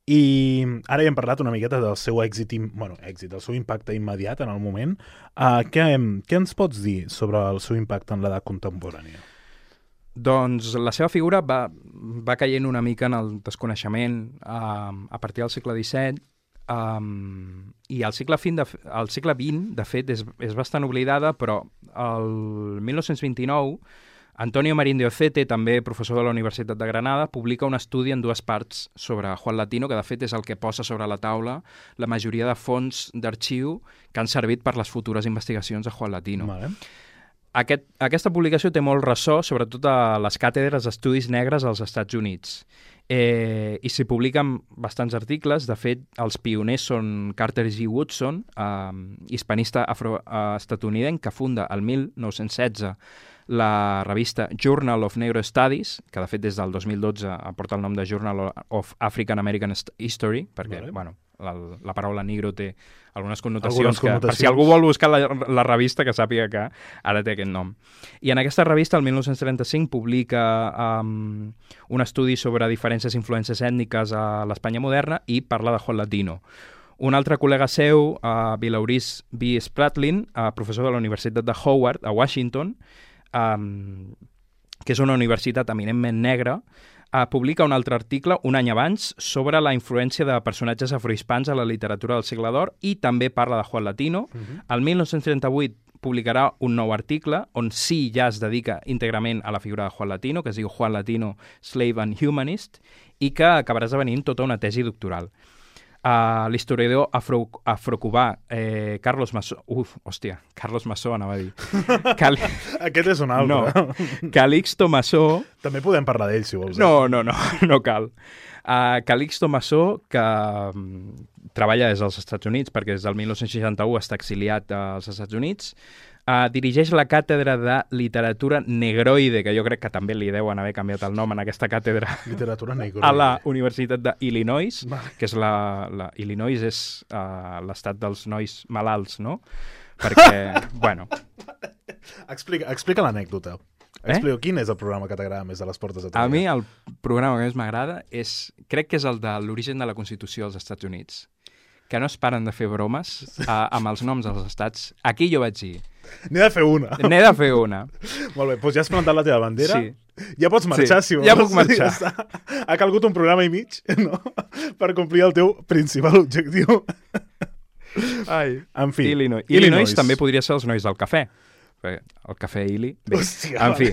I ara ja hem parlat una miqueta del seu èxit, bueno, èxit, del seu impacte immediat en el moment. Uh, què, què ens pots dir sobre el seu impacte en l'edat contemporània? Doncs la seva figura va, va caient una mica en el desconeixement uh, a partir del segle disset, um, i al segle vint, de, al segle vint, de fet, és, és bastant oblidada, però el mil nou-cents vint-i-nou Antonio Marín de Ocete, també professor de la Universitat de Granada, publica un estudi en dues parts sobre Juan Latino, que de fet és el que posa sobre la taula la majoria de fons d'arxiu que han servit per les futures investigacions de Juan Latino. Vale. Aquest, aquesta publicació té molt ressò, sobretot a les càtedres d'estudis negres als Estats Units. Eh, I s'hi publiquen bastants articles. De fet, els pioners són Carter G. Woodson, eh, hispanista afroestatunidenc, que funda el mil nou-cents setze la revista Journal of Negro Studies, que de fet des del dos mil dotze aporta el nom de Journal of African American History, perquè vale. bueno, la, la paraula negro té algunes connotacions, algunes que, connotacions. Per si algú vol buscar la, la revista, que sàpiga que ara té aquest nom. I en aquesta revista, el mil nou-cents trenta-cinc, publica um, un estudi sobre diferències i influències ètniques a l'Espanya moderna i parla de Juan Latino. Un altre col·lega seu, uh, Vilauris B. Spratlin, uh, professor de la Universitat de Howard, a Washington, um, que és una universitat eminentment negra, Uh, publica un altre article un any abans sobre la influència de personatges afrohispans a la literatura del segle d'or i també parla de Juan Latino. Uh-huh. El mil nou-cents trenta-vuit publicarà un nou article on sí ja es dedica íntegrament a la figura de Juan Latino, que es diu Juan Latino, Slave and Humanist, i que acabarà esdevenint tota una tesi doctoral. Uh, L'historiador afro, afrocubà eh, Carlos Massó... Uf, hòstia, Carlos Massó anava a dir. Cali... Aquest és un altre. No, Calixto Massó... També podem parlar d'ell, si vols. No, no, no, no cal. Uh, Calixto Massó, que um, treballa des dels Estats Units, perquè des del mil nou-cents seixanta-u està exiliat als Estats Units, Uh, dirigeix la càtedra de literatura negroide, que jo crec que també li deuen haver canviat el nom en aquesta càtedra, literatura negroide, a la Universitat d'Illinois, que és la, la Illinois és uh, l'estat dels nois malalts, no? Perquè, bueno... Explica, explica l'anècdota. Eh? Explico, quin és el programa que t'agrada més de les portes de Troia? A mi el programa que més m'agrada és, crec que és el de l'origen de la Constitució dels Estats Units, que no es paren de fer bromes uh, amb els noms dels estats. Aquí jo vaig dir... N'he de fer una. N'he de fer una. Molt bé, doncs ja has plantat la teva bandera. Sí. Ja pots marxar, sí. si vols. Ja puc marxar. Ja ha calgut un programa i mig, no?, per complir el teu principal objectiu. Ai. En fi. Illinois. Illinois. Illinois també podria ser els nois del cafè. El cafè Ili. Bé, hòstia, en fi,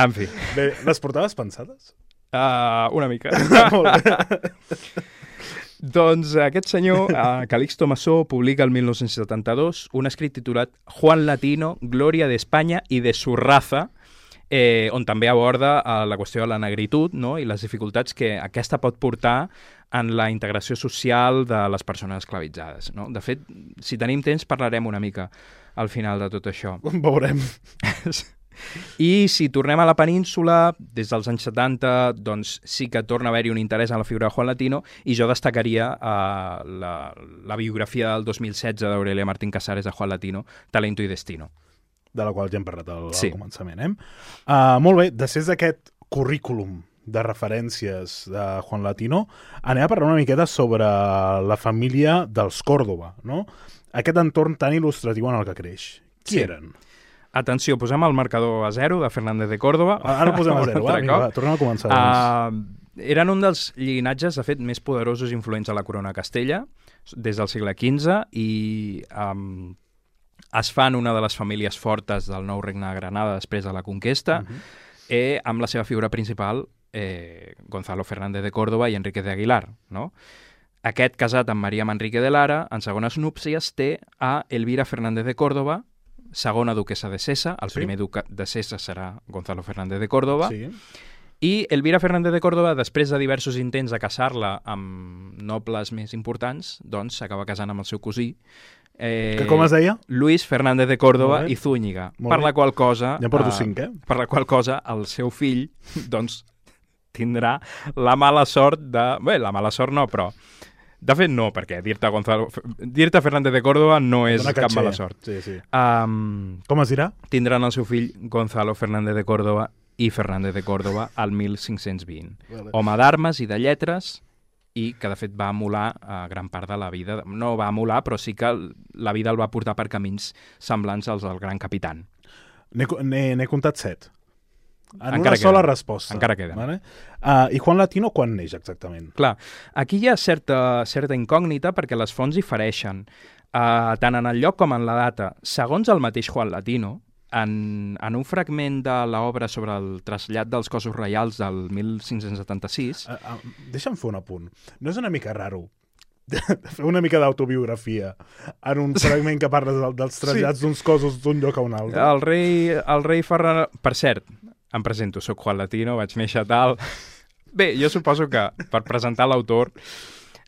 en fi. Bé, les portaves pensades? Uh, una mica. Molt bé. Doncs aquest senyor, uh, Calixto Massó, publica el mil nou-cents setanta-dos un escrit titulat Juan Latino, Glòria d'Espanya i de su raza, eh, on també aborda uh, la qüestió de la negritud, no?, i les dificultats que aquesta pot portar en la integració social de les persones esclavitzades, no? De fet, si tenim temps, parlarem una mica al final de tot això. Veurem. I si tornem a la península, des dels anys setanta, doncs sí que torna a haver-hi un interès en la figura de Juan Latino, i jo destacaria uh, la, la biografia del dos mil setze d'Aurelia Martín Casares de Juan Latino, Talento i Destino. De la qual ja hem parlat al, sí. al començament, eh? Uh, molt bé, després d'aquest currículum de referències de Juan Latino, anem a parlar una miqueta sobre la família dels Còrdova, no? Aquest entorn tan il·lustratiu en el que creix. Qui sí. eren? Atenció, posem el marcador a zero de Fernández de Córdoba. Ara posem a zero, va, vinga, va, tornem a començar. Uh, eren un dels llinatges, de fet, més poderosos i influents a la corona de Castella, des del segle quinze, i um, es fan una de les famílies fortes del nou regne de Granada després de la conquesta, uh-huh. eh, amb la seva figura principal, eh, Gonzalo Fernández de Córdoba i Enrique de Aguilar, no? Aquest, casat amb Maria Manrique de Lara, en segones núpcies té a Elvira Fernández de Córdoba, segona duquesa de Sesa, el Sí. primer duc de Sesa serà Gonzalo Fernández de Córdoba, Sí. i Elvira Fernández de Córdoba, després de diversos intents de casar-la amb nobles més importants, doncs s'acaba casant amb el seu cosí, eh, Que com es deia? Luis Fernández de Córdoba Molt bé. i Zúñiga, Molt per bé. la qual cosa... Ja en porto eh, cinc, eh? Per la qual cosa el seu fill, doncs, tindrà la mala sort de... Bé, la mala sort no, però... De fet, no, perquè dir-te Gonzalo... dir-te Fernández de Córdoba no és Dona cap caché. mala sort. Sí, sí. Um, Com es dirà? tindran el seu fill Gonzalo Fernández de Córdoba i Fernández de Córdoba al mil cinc-cents vint. Vale. Home d'armes i de lletres, i que de fet va emular a gran part de la vida. No va emular, però sí que la vida el va portar per camins semblants als del Gran Capitán. N'he n'he- n'he comptat set. En Encara una sola queden. resposta. Encara queden. Vale? Uh, I Juan Latino quan neix exactament? Clar, aquí hi ha certa, certa incògnita perquè les fonts difereixen, uh, tant en el lloc com en la data. Segons el mateix Juan Latino, en, en un fragment de l'obra sobre el trasllat dels cossos reials del mil cinc-cents setanta-sis... Uh, uh, deixa'm fer un apunt. No és una mica raro fer una mica d'autobiografia en un fragment que parles del, dels trasllats sí. d'uns cossos d'un lloc a un altre? El rei, el rei Ferran... Per cert, em presento, soc Juan Latino, vaig néixer tal... Bé, jo suposo que per presentar l'autor...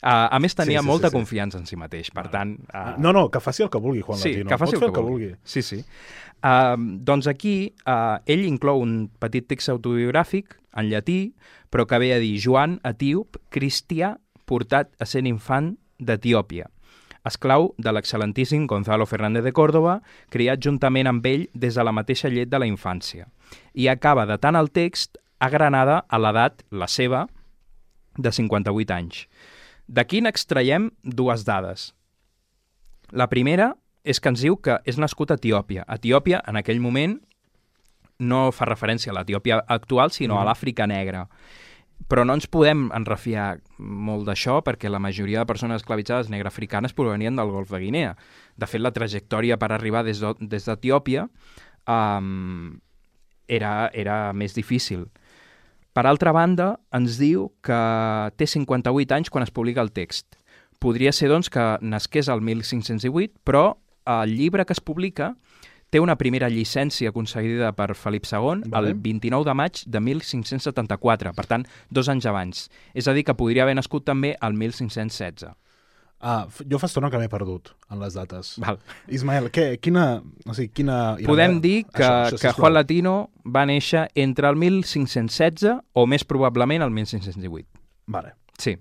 Uh, a més, tenia Sí, sí, molta sí, sí. confiança en si mateix, per tant... Uh, No, no, que faci el que vulgui, Juan sí, Latino. que faci Pot el fer que, vulgui. vulgui. Sí, sí. Uh, doncs aquí uh, ell inclou un petit text autobiogràfic en llatí, però que ve a dir Joan Etíop, cristià, portat a ser infant d'Etiòpia, esclau de l'excel·lentíssim Gonzalo Fernández de Córdoba, criat juntament amb ell des de la mateixa llet de la infància. I acaba datant el text a Granada a l'edat, la seva, de cinquanta-vuit anys. D'aquí n'extraiem dues dades. La primera és que ens diu que és nascut a Etiòpia. Etiòpia, en aquell moment, no fa referència a l'Etiòpia actual, sinó mm. a l'Àfrica negra. Però no ens podem enrefiar molt d'això perquè la majoria de persones esclavitzades negrafricanes provenien del Golf de Guinea. De fet, la trajectòria per arribar des d'Etiòpia um, era, era més difícil. Per altra banda, ens diu que té cinquanta-vuit anys quan es publica el text. Podria ser, doncs, que nasqués al mil cinc-cents divuit, però el llibre que es publica té una primera llicència concedida per Felip segon vale. el vint-i-nou de maig de mil cinc-cents setanta-quatre, per tant, dos anys abans. És a dir, que podria haver nascut també al mil cinc-cents setze. Ah, jo fa estona que m'he perdut en les dates. Val. Ismael, què, quina... O sigui, quina... Podem dir que, això, això, que sisplau. Juan Latino va néixer entre el mil cinc-cents setze o més probablement el mil cinc-cents divuit. Vale. Sí.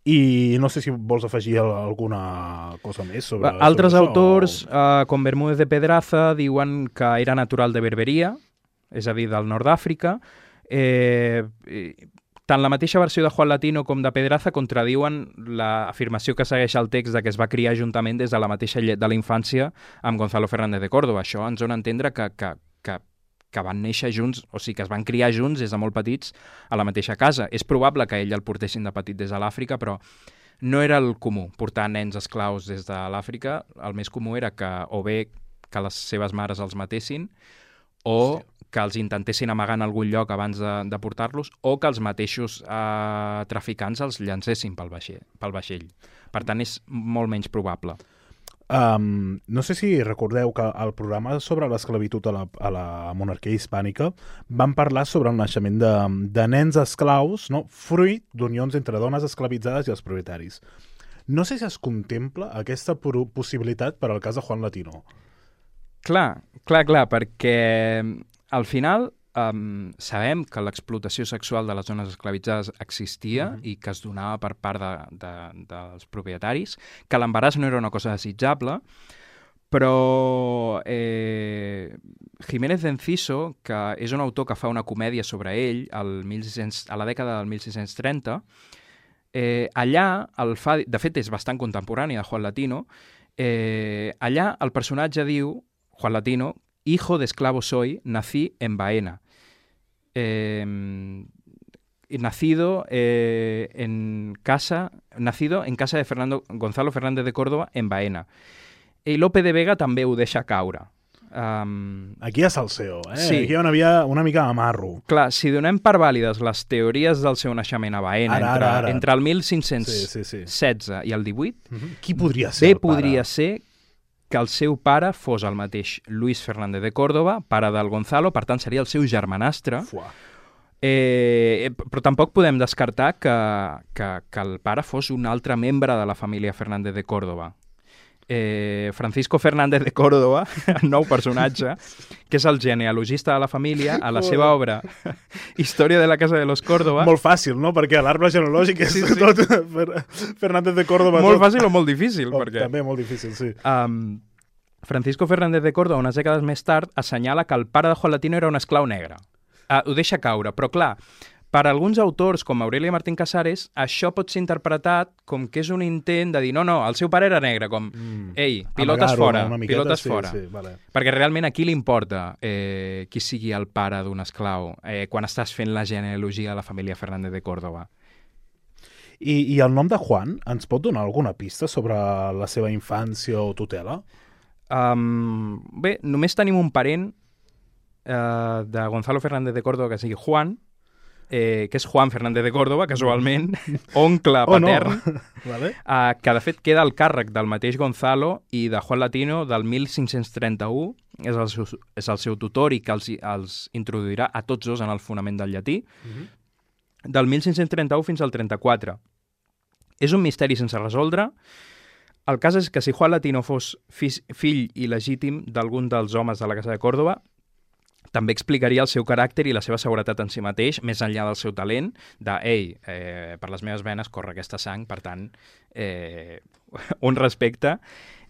I no sé si vols afegir alguna cosa més sobre, Altres sobre autors, això, o... eh, com Bermúdez de Pedraza, diuen que era natural de Berberia, és a dir, del nord d'Àfrica. Eh, tant la mateixa versió de Juan Latino com de Pedraza contradiuen l'afirmació que segueix el text de que es va criar juntament des de la mateixa llet de la infància amb Gonzalo Fernández de Córdoba. Això ens dona a entendre que, que, que, que van néixer junts, o sigui, que es van criar junts des de molt petits a la mateixa casa. És probable que ell el portessin de petit des de l'Àfrica, però no era el comú portar nens esclaus des de l'Àfrica. El més comú era que o bé que les seves mares els matessin o Hòstia. que els intentessin amagar en algun lloc abans de, de portar-los o que els mateixos eh, traficants els llancessin pel vaixell, pel vaixell. Per tant, és molt menys probable. Um, no sé si recordeu que al programa sobre l'esclavitud a, la, a la monarquia hispànica van parlar sobre el naixement de, de nens esclaus, no? Fruit d'unions entre dones esclavitzades i els propietaris. No sé si es contempla aquesta possibilitat per al cas de Juan Latino. Clar, clar, clar, perquè al final um, sabem que l'explotació sexual de les dones esclavitzades existia mm-hmm. i que es donava per part de, de, dels propietaris, que l'embaràs no era una cosa desitjable, però eh, Jiménez de Enciso, que és un autor que fa una comèdia sobre ell al mil sis-cents, a la dècada del mil sis-cents trenta, eh, allà, el fa, de fet és bastant contemporani de Juan Latino, eh, allà el personatge diu, Juan Latino, hijo de esclavo soy, nací en Baena. Eh, nacido eh, en casa, nacido en casa de Fernando, Gonzalo Fernández de Córdoba en Baena. I Lope de Vega també ho deixa caure. Um, Aquí hi ha salseo, eh? Sí. Aquí hi ha una, via, una mica d'amarro. Clar, si donem per vàlides les teories del seu naixement a Baena Ara, entre, ara, ara. entre el mil cinc-cents setze Sí, sí, sí. i el divuit, Mm-hmm. Qui podria ser bé el pare? podria ser que el seu pare fos el mateix Luis Fernández de Córdoba, pare del Gonzalo, per tant seria el seu germanastre. Fuà. Eh, però tampoc podem descartar que, que, que el pare fos un altre membre de la família Fernández de Córdoba. Eh, Francisco Fernández de Córdoba, el nou personatge, que és el genealogista de la família, a la seva obra Història de la Casa de los Córdoba... Molt fàcil, no? Perquè l'arbre genealògic és Sí, sí. tot Fernández de Córdoba. Molt tot. fàcil o molt difícil, Oh, perquè... També molt difícil, sí. Um, Francisco Fernández de Córdoba, unes dècades més tard, assenyala que el pare de Juan Latino era un esclau negre. Uh, ho deixa caure, però clar, per a alguns autors, com Aurelia Martín Casares, això pot ser interpretat com que és un intent de dir no, no, el seu pare era negre, com, mm. ei, pilotes Amagar-ho, fora, una miqueta, pilotes sí, fora. Sí, vale. Perquè realment a qui li importa eh, qui sigui el pare d'un esclau eh, quan estàs fent la genealogia de la família Fernández de Córdoba? I, I el nom de Juan ens pot donar alguna pista sobre la seva infància o tutela? Um, bé, només tenim un parent eh, de Gonzalo Fernández de Córdoba que sigui Juan, eh, que és Juan Fernández de Córdoba, casualment, oncle Oh, no. patern, Vale. eh, que de fet queda al càrrec del mateix Gonzalo i de Juan Latino del mil cinc-cents trenta-u, és el seu, és el seu tutor i que els, els introduirà a tots dos en el fonament del llatí, Mhm. del mil cinc-cents trenta-u fins al trenta-quatre. És un misteri sense resoldre. El cas és que si Juan Latino fos fi, fill il·legítim d'algun dels homes de la Casa de Córdoba, també explicaria el seu caràcter i la seva seguretat en si mateix, més enllà del seu talent, de, ei, eh, per les meves venes corre aquesta sang, per tant, eh, un respecte.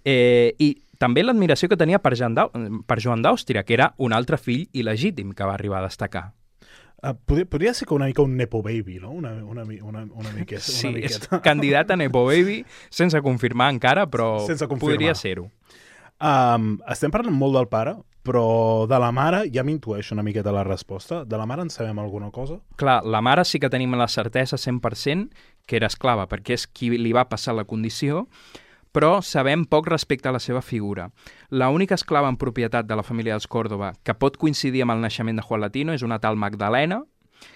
Eh, I també l'admiració que tenia per Joan d'Au- per Joan d'Àustria, que era un altre fill il·legítim que va arribar a destacar. Uh, podria, podria ser que una mica un Nepo Baby, no? Una, una, mi- una, una miqueta. Sí, una és miqueta. candidat a Nepo Baby, sense confirmar encara, però Sense confirmar. podria ser-ho. Um, estem parlant molt del pare, però de la mare ja m'intueixo una miqueta la resposta. De la mare en sabem alguna cosa? Clar, la mare sí que tenim la certesa cent per cent que era esclava, perquè és qui li va passar la condició, però sabem poc respecte a la seva figura. La única esclava en propietat de la família dels Córdoba que pot coincidir amb el naixement de Juan Latino és una tal Magdalena,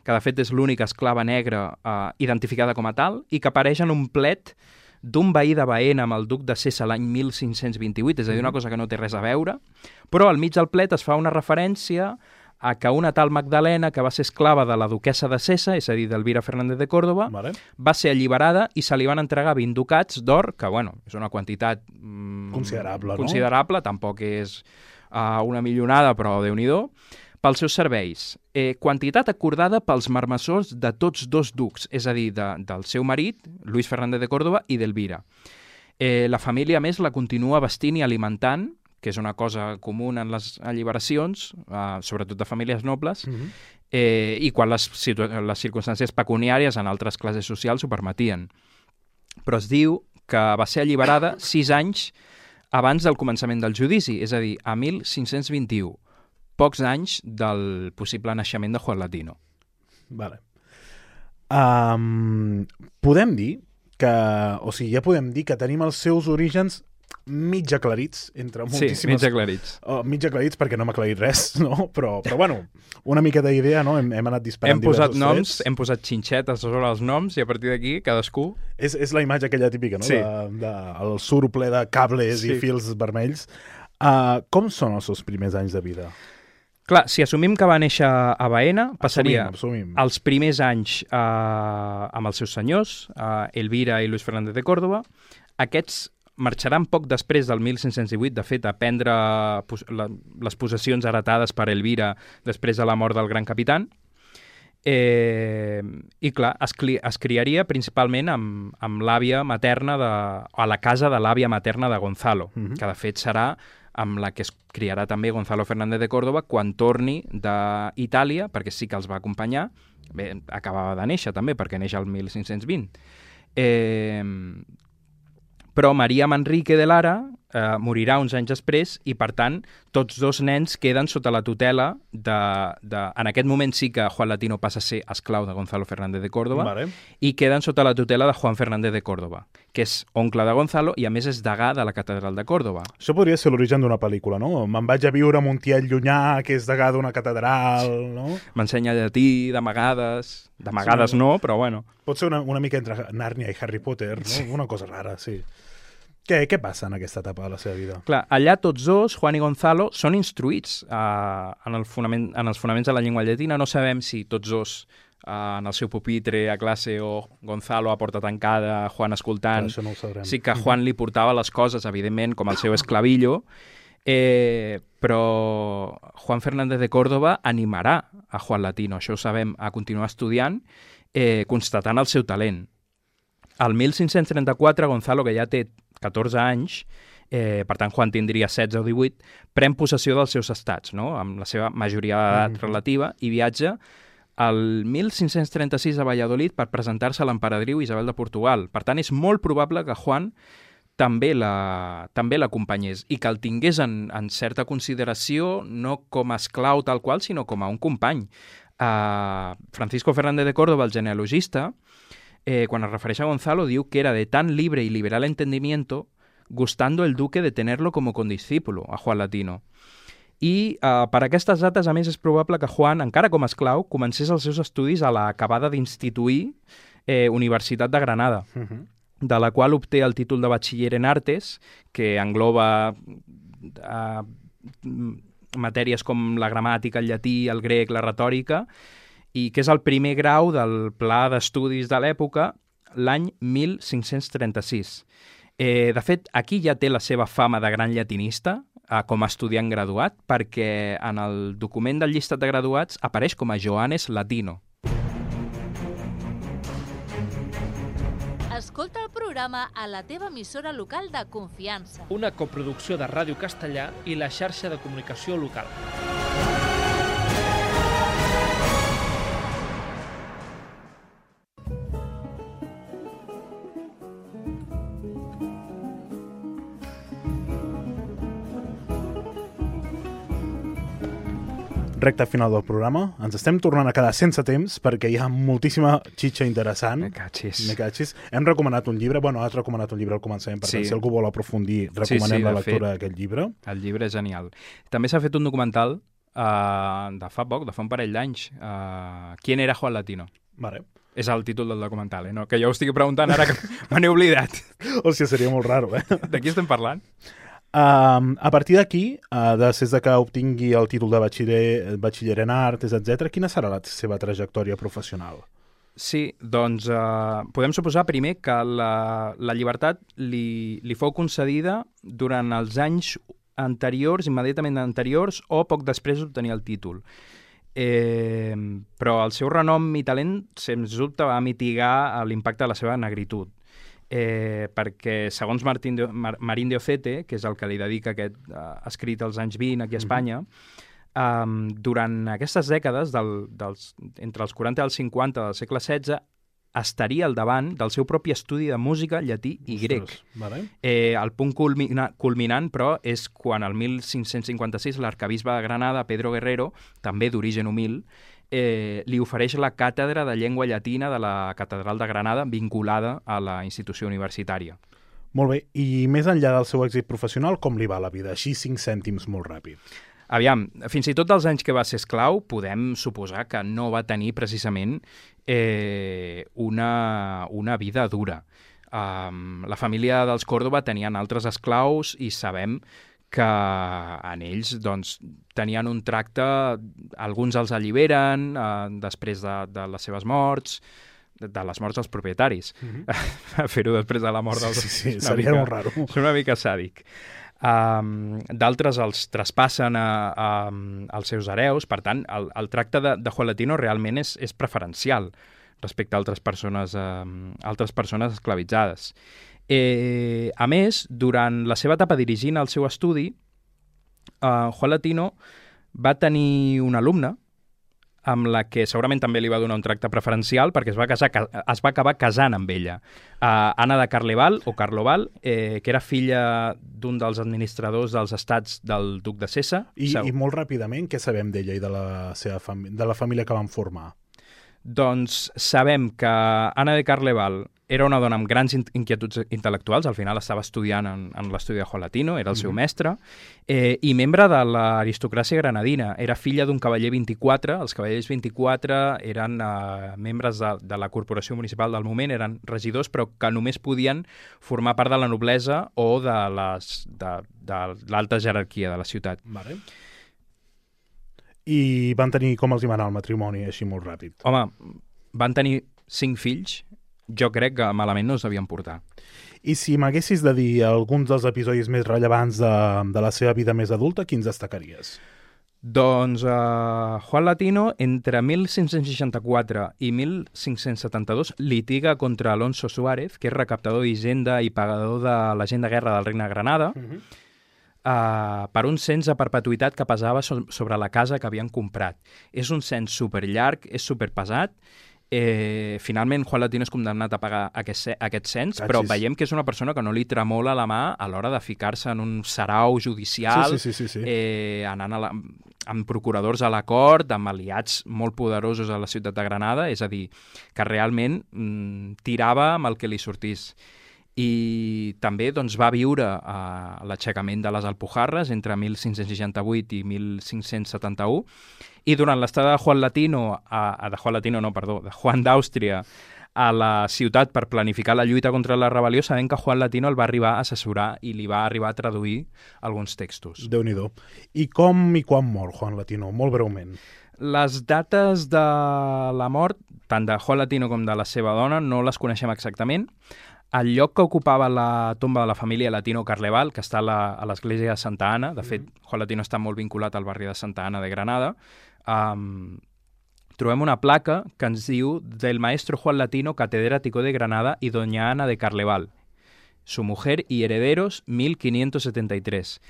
que de fet és l'única esclava negra eh, identificada com a tal, i que apareix en un plet d'un veí de Baena amb el duc de Sessa l'any mil cinc-cents vint-i-vuit, és a dir, una cosa que no té res a veure, però al mig del plet es fa una referència a que una tal Magdalena, que va ser esclava de la duquessa de Sessa, és a dir, d'Elvira Fernández de Córdoba, Vale. va ser alliberada i se li van entregar vint ducats d'or, que, bueno, és una quantitat mm, Considerable, no? considerable, tampoc és uh, una milionada, però Déu-n'hi-do, pels seus serveis. Eh, quantitat acordada pels marmessors de tots dos ducs, és a dir, de, del seu marit, Luis Fernández de Córdoba, i d'Elvira. Eh, la família, a més, la continua vestint i alimentant, que és una cosa comuna en les alliberacions, eh, sobretot de famílies nobles, Mhm. eh, i quan les, situ- les circumstàncies pecuniàries en altres classes socials ho permetien. Però es diu que va ser alliberada sis anys abans del començament del judici, és a dir, a mil cinc-cents vint-i-u, pocs anys del possible naixement de Juan Latino. Vale. Um, podem dir que, o sigui, ja podem dir que tenim els seus orígens mig aclarits, entre Sí, moltíssimes... mig aclarits. Oh, mig aclarits perquè no m'ha aclarit res, no? Però, però bueno, una mica d'idea, no? Hem, hem anat disparant Hem posat diversos noms, trets. hem posat xinxetes sobre els noms i a partir d'aquí cadascú... És, és la imatge aquella típica, no? Sí. De, de, el suro ple de cables Sí. i fils vermells. Uh, com són els seus primers anys de vida? Clar, si assumim que va néixer a Baena, passaria Assumim, assumim. els primers anys eh, amb els seus senyors, eh, Elvira i Luis Fernández de Córdoba. Aquests marxaran poc després del mil cinc-cents divuit, de fet, a prendre pos la, les possessions heretades per Elvira després de la mort del gran capitán. Eh, I clar, es, es criaria principalment amb, amb l'àvia materna, de, a la casa de l'àvia materna de Gonzalo, Mhm. que de fet serà amb la que es criarà també Gonzalo Fernández de Córdoba quan torni d'Itàlia, perquè sí que els va acompanyar. Bé, acabava de néixer també, perquè neix el mil cinc-cents vint. Eh, però Maria Manrique de Lara eh, morirà uns anys després i, per tant, tots dos nens queden sota la tutela de, de... En aquest moment sí que Juan Latino passa a ser esclau de Gonzalo Fernández de Córdoba, Vale. i queden sota la tutela de Juan Fernández de Córdoba, que és oncle de Gonzalo i, a més, és degà de la catedral de Córdoba. Això podria ser l'origen d'una pel·lícula, no? Me'n vaig a viure a Montiel llunyà, que és degà d'una catedral, no? M'ensenya llatí, d'amagades... D'amagades Sí, no, però bueno. Pot ser una, una mica entre Nàrnia i Harry Potter, no? Sí. Una cosa rara, sí. Què, què passa en aquesta etapa de la seva vida? Clar, allà tots dos, Juan i Gonzalo, són instruïts uh, en, el fonament, en els fonaments de la llengua llatina. No sabem si tots dos uh, en el seu pupitre a classe o Gonzalo a porta tancada, Juan escoltant. Però això no ho sabrem. Sí que Juan li portava les coses, evidentment, com el seu esclavillo, eh, però Juan Fernández de Córdoba animarà a Juan Latino, això ho sabem, a continuar estudiant, eh, constatant el seu talent. Al mil cinc-cents trenta-quatre, Gonzalo, que ja té catorze anys, eh, per tant Juan tindria setze o divuit, pren possessió dels seus estats, no? Amb la seva majoria d'edat mm-hmm. relativa, i viatja al mil cinc-cents trenta-sis a Valladolid per presentar-se a l'emperadriu Isabel de Portugal. Per tant, és molt probable que Juan també la, també l'acompanyés i que el tingués en, en certa consideració no com a esclau tal qual, sinó com a un company. Uh, Francisco Fernández de Córdoba, el genealogista, eh, quan es refereix a Gonzalo, diu que era de tan libre y liberal entendimiento, gustando el duque de tenerlo como condiscípulo, a Juan Latino. I uh, per aquestes dates, a més, és probable que Juan, encara com a esclau, comencés els seus estudis a l'acabada d'instituir eh, Universitat de Granada, uh-huh. de la qual obté el títol de batxiller en artes, que engloba uh, matèries com la gramàtica, el llatí, el grec, la retòrica, i que és el primer grau del pla d'estudis de l'època, l'any mil cinc-cents trenta-sis. Eh, de fet, aquí ja té la seva fama de gran llatinista, eh, com a estudiant graduat, perquè en el document del llistat de graduats apareix com a Joanes Latino. Escolta el programa a la teva emissora local de confiança. Una coproducció de Ràdio Castellà i la xarxa de comunicació local. Recte final del programa. Ens estem tornant a quedar sense temps perquè hi ha moltíssima xitxa interessant. Me catxis. Me catxis. Hem recomanat un llibre, bueno, has recomanat un llibre al començament, per tant, sí. si algú vol aprofundir, recomanem sí, sí, la lectura d'aquest llibre. El llibre és genial. També s'ha fet un documental uh, de fa poc, de fa un parell d'anys. Uh, ¿Quién era Juan Latino? Vale. És el títol del documental, eh? No? Que jo ho estic preguntant ara que me n'he oblidat. Hòstia, seria molt raro, eh? De qui estem parlant? Uh, a partir d'aquí, uh, després de que obtingui el títol de batxiller, batxiller en artes, etcètera, quina serà la seva trajectòria professional? Sí, doncs uh, podem suposar primer que la, la llibertat li, li fou concedida durant els anys anteriors, immediatament anteriors, o poc després d'obtenir el títol. Eh, però el seu renom i talent, sens dubte, va mitigar l'impacte de la seva negritud. Eh, perquè, segons Martín de, Mar, Marín de Ocete, que és el que li dedica aquest uh, escrit als anys vint aquí a Espanya, mm-hmm. um, durant aquestes dècades, del, dels, entre els quaranta i els cinquanta del segle setze, estaria al davant del seu propi estudi de música, llatí i grec. Ostres, vale. Eh, el punt culmina, culminant, però, és quan el mil cinc-cents cinquanta-sis l'arcabisbe de Granada, Pedro Guerrero, també d'origen humil, Eh, li ofereix la càtedra de llengua llatina de la Catedral de Granada vinculada a la institució universitària. Molt bé, i més enllà del seu èxit professional, com li va la vida? Així cinc cèntims molt ràpid. Aviam, fins i tot els anys que va ser esclau, podem suposar que no va tenir precisament eh, una, una vida dura. Um, la família dels Córdoba tenien altres esclaus i sabem que en ells doncs, tenien un tracte, alguns els alliberen eh, després de, de les seves morts, de, de les morts dels propietaris. Mm-hmm. Fer-ho després de la mort dels... Sí, sí, sí seria molt raro. És una mica sàdic. Um, d'altres els traspassen a, a, als seus hereus, per tant, el, el tracte de, de Juan Latino realment és, és preferencial respecte a altres persones, um, altres persones esclavitzades. Eh, a més, durant la seva etapa dirigint el seu estudi, eh, Juan Latino va tenir una alumna amb la que segurament també li va donar un tracte preferencial perquè es va, casar, es va acabar casant amb ella. Uh, Anna de Carleval, o Carloval, eh, que era filla d'un dels administradors dels estats del duc de Sessa. I, i molt ràpidament, què sabem d'ella i de la, seva fami- de la família que van formar? Doncs sabem que Anna de Carleval era una dona amb grans inquietuds intel·lectuals, al final estava estudiant en, en l'estudi de Juan Latino, era el seu mm-hmm. mestre, eh, i membre de l'aristocràcia granadina. Era filla d'un cavaller vint-i-quatre, els cavallers vint-i-quatre eren eh, membres de, de la corporació municipal del moment, eren regidors, però que només podien formar part de la noblesa o de les de, de l'alta jerarquia de la ciutat. Vale. I van tenir, com els hi va anar el matrimoni, així molt ràpid? Home, van tenir cinc fills, jo crec que malament no es devien portar. I si m'haguessis de dir alguns dels episodis més rellevants de, de la seva vida més adulta, quins destacaries? Doncs uh, Juan Latino, entre mil cinc-cents seixanta-quatre i mil cinc-cents setanta-dos, litiga contra Alonso Suárez, que és recaptador d'Hisenda i pagador de la gent de guerra del Regne de Granada, uh-huh. uh, per un cens a perpetuïtat que pesava so- sobre la casa que havien comprat. És un cens superllarg, és superpesat. Eh, finalment, Juan Latino és condemnat a pagar aquest, aquest cens, Cachis. Però veiem que és una persona que no li tremola la mà a l'hora de ficar-se en un sarau judicial, sí, sí, sí, sí, sí. Eh, anant a la, amb procuradors a la cort, amb aliats molt poderosos a la ciutat de Granada, és a dir, que realment mm, tirava amb el que li sortís. I també doncs, va viure a l'aixecament de les Alpujarres entre mil cinc-cents seixanta-vuit i mil cinc-cents setanta-u, i durant l'estada de Juan Latino, a, a de Juan Latino no, perdó, de Juan d'Àustria a la ciutat per planificar la lluita contra la rebel·lió, sabent que Juan Latino el va arribar a assessorar i li va arribar a traduir alguns textos. Déu-n'hi-do. I com i quan mor Juan Latino? Molt breument. Les dates de la mort, tant de Juan Latino com de la seva dona, no les coneixem exactament. El lloc que ocupava la tomba de la família Latino Carleval, que està a, la, a l'església de Santa Anna, de fet, mm-hmm. Juan Latino està molt vinculat al barri de Santa Anna de Granada, um, trobem una placa que ens diu del maestro Juan Latino, catedrático de Granada, y doña Ana de Carleval, su mujer y herederos, mil quinientos setenta-tres.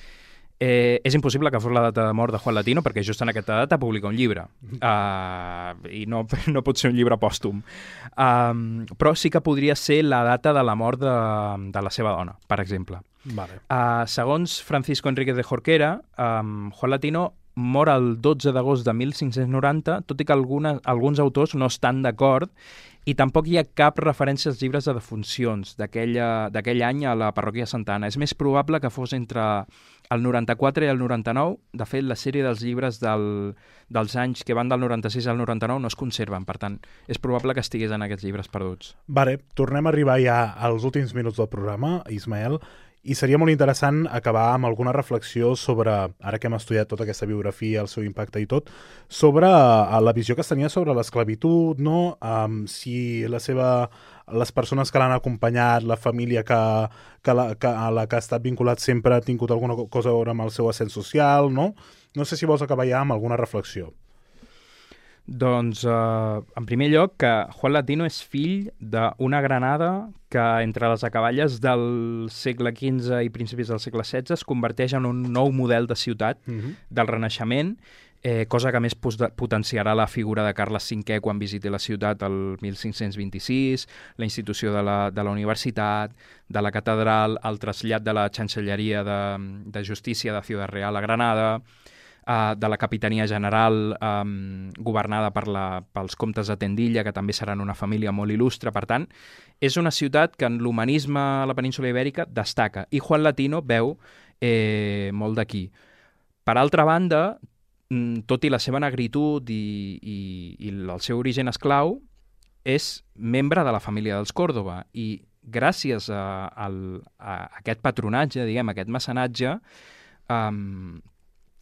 Eh, és impossible que fos la data de mort de Juan Latino perquè just en aquesta data publica un llibre uh, i no, no pot ser un llibre pòstum. Um, però sí que podria ser la data de la mort de, de la seva dona, per exemple. Vale. Uh, segons Francisco Enríquez de Jorquera, um, Juan Latino mor el dotze d'agost de mil cinc-cents noranta, tot i que alguna, alguns autors no estan d'acord, i tampoc hi ha cap referència als llibres de defuncions d'aquell any a la parròquia de Santa Anna. És més probable que fos entre el noranta-quatre i el noranta-nou. De fet, la sèrie dels llibres del, dels anys que van del noranta-sis al noranta-nou no es conserven, per tant, és probable que estigués en aquests llibres perduts. Vale, tornem a arribar ja als últims minuts del programa, Ismael, i seria molt interessant acabar amb alguna reflexió sobre, ara que hem estudiat tota aquesta biografia, el seu impacte i tot, sobre uh, la visió que es tenia sobre l'esclavitud, no? Um, si la seva, les persones que l'han acompanyat, la família que, que, la, que a la que ha estat vinculat sempre ha tingut alguna cosa a veure amb el seu ascens social, no? No sé si vols acabar ja amb alguna reflexió. Doncs, eh, en primer lloc, que Juan Latino és fill d'una Granada que entre les acaballes del segle quinze i principis del segle setze es converteix en un nou model de ciutat mm-hmm. del Renaixement, eh, cosa que més potenciarà la figura de Carles cinquè quan visiti la ciutat el mil cinc-cents vint-i-sis, la institució de la, de la universitat, de la catedral, el trasllat de la Chancelleria de, de Justícia de Ciudad Real a Granada, Uh, de la Capitania General um, governada per la, pels comtes de Tendilla, que també seran una família molt il·lustre. Per tant, és una ciutat que en l'humanisme a la península Ibèrica destaca, i Juan Latino veu eh, molt d'aquí. Per altra banda, tot i la seva negritud i, i, i el seu origen esclau, és membre de la família dels Còrdova, i gràcies a, a, a aquest patronatge, diguem, a aquest mecenatge, um,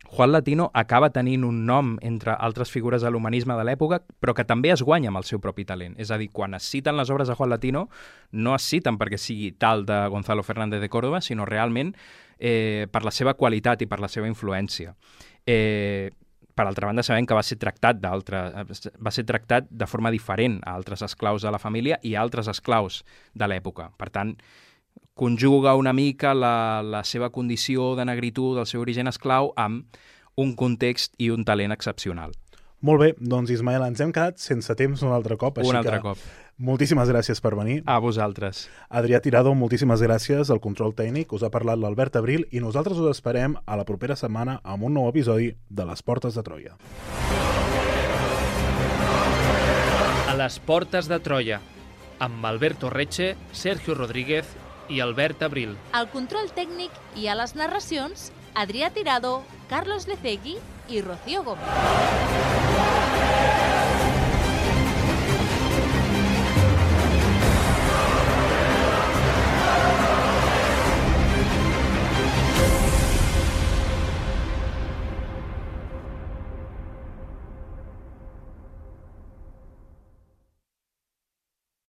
Juan Latino acaba tenint un nom entre altres figures de l'humanisme de l'època, però que també es guanya amb el seu propi talent. És a dir, quan es citen les obres de Juan Latino, no es citen perquè sigui tal de Gonzalo Fernández de Córdoba, sinó realment eh, per la seva qualitat i per la seva influència. Eh, per altra banda, sabem que va ser tractat va ser tractat de forma diferent a altres esclaus de la família i a altres esclaus de l'època. Per tant, conjuga una mica la, la seva condició de negritud, el seu origen esclau, amb un context i un talent excepcional. Molt bé, doncs Ismael, ens hem quedat sense temps un altre cop. Un altre cop. Moltíssimes gràcies per venir. A vosaltres. Adrià Tirado, moltíssimes gràcies al control tècnic. Us ha parlat l'Albert Abril i nosaltres us esperem a la propera setmana amb un nou episodi de Les Portes de Troia. A les Portes de Troia, amb Alberto Reche, Sergio Rodríguez i Albert Abril. Al control tècnic i a les narracions, Adrià Tirado, Carlos Lecegui i Rocío Gómez.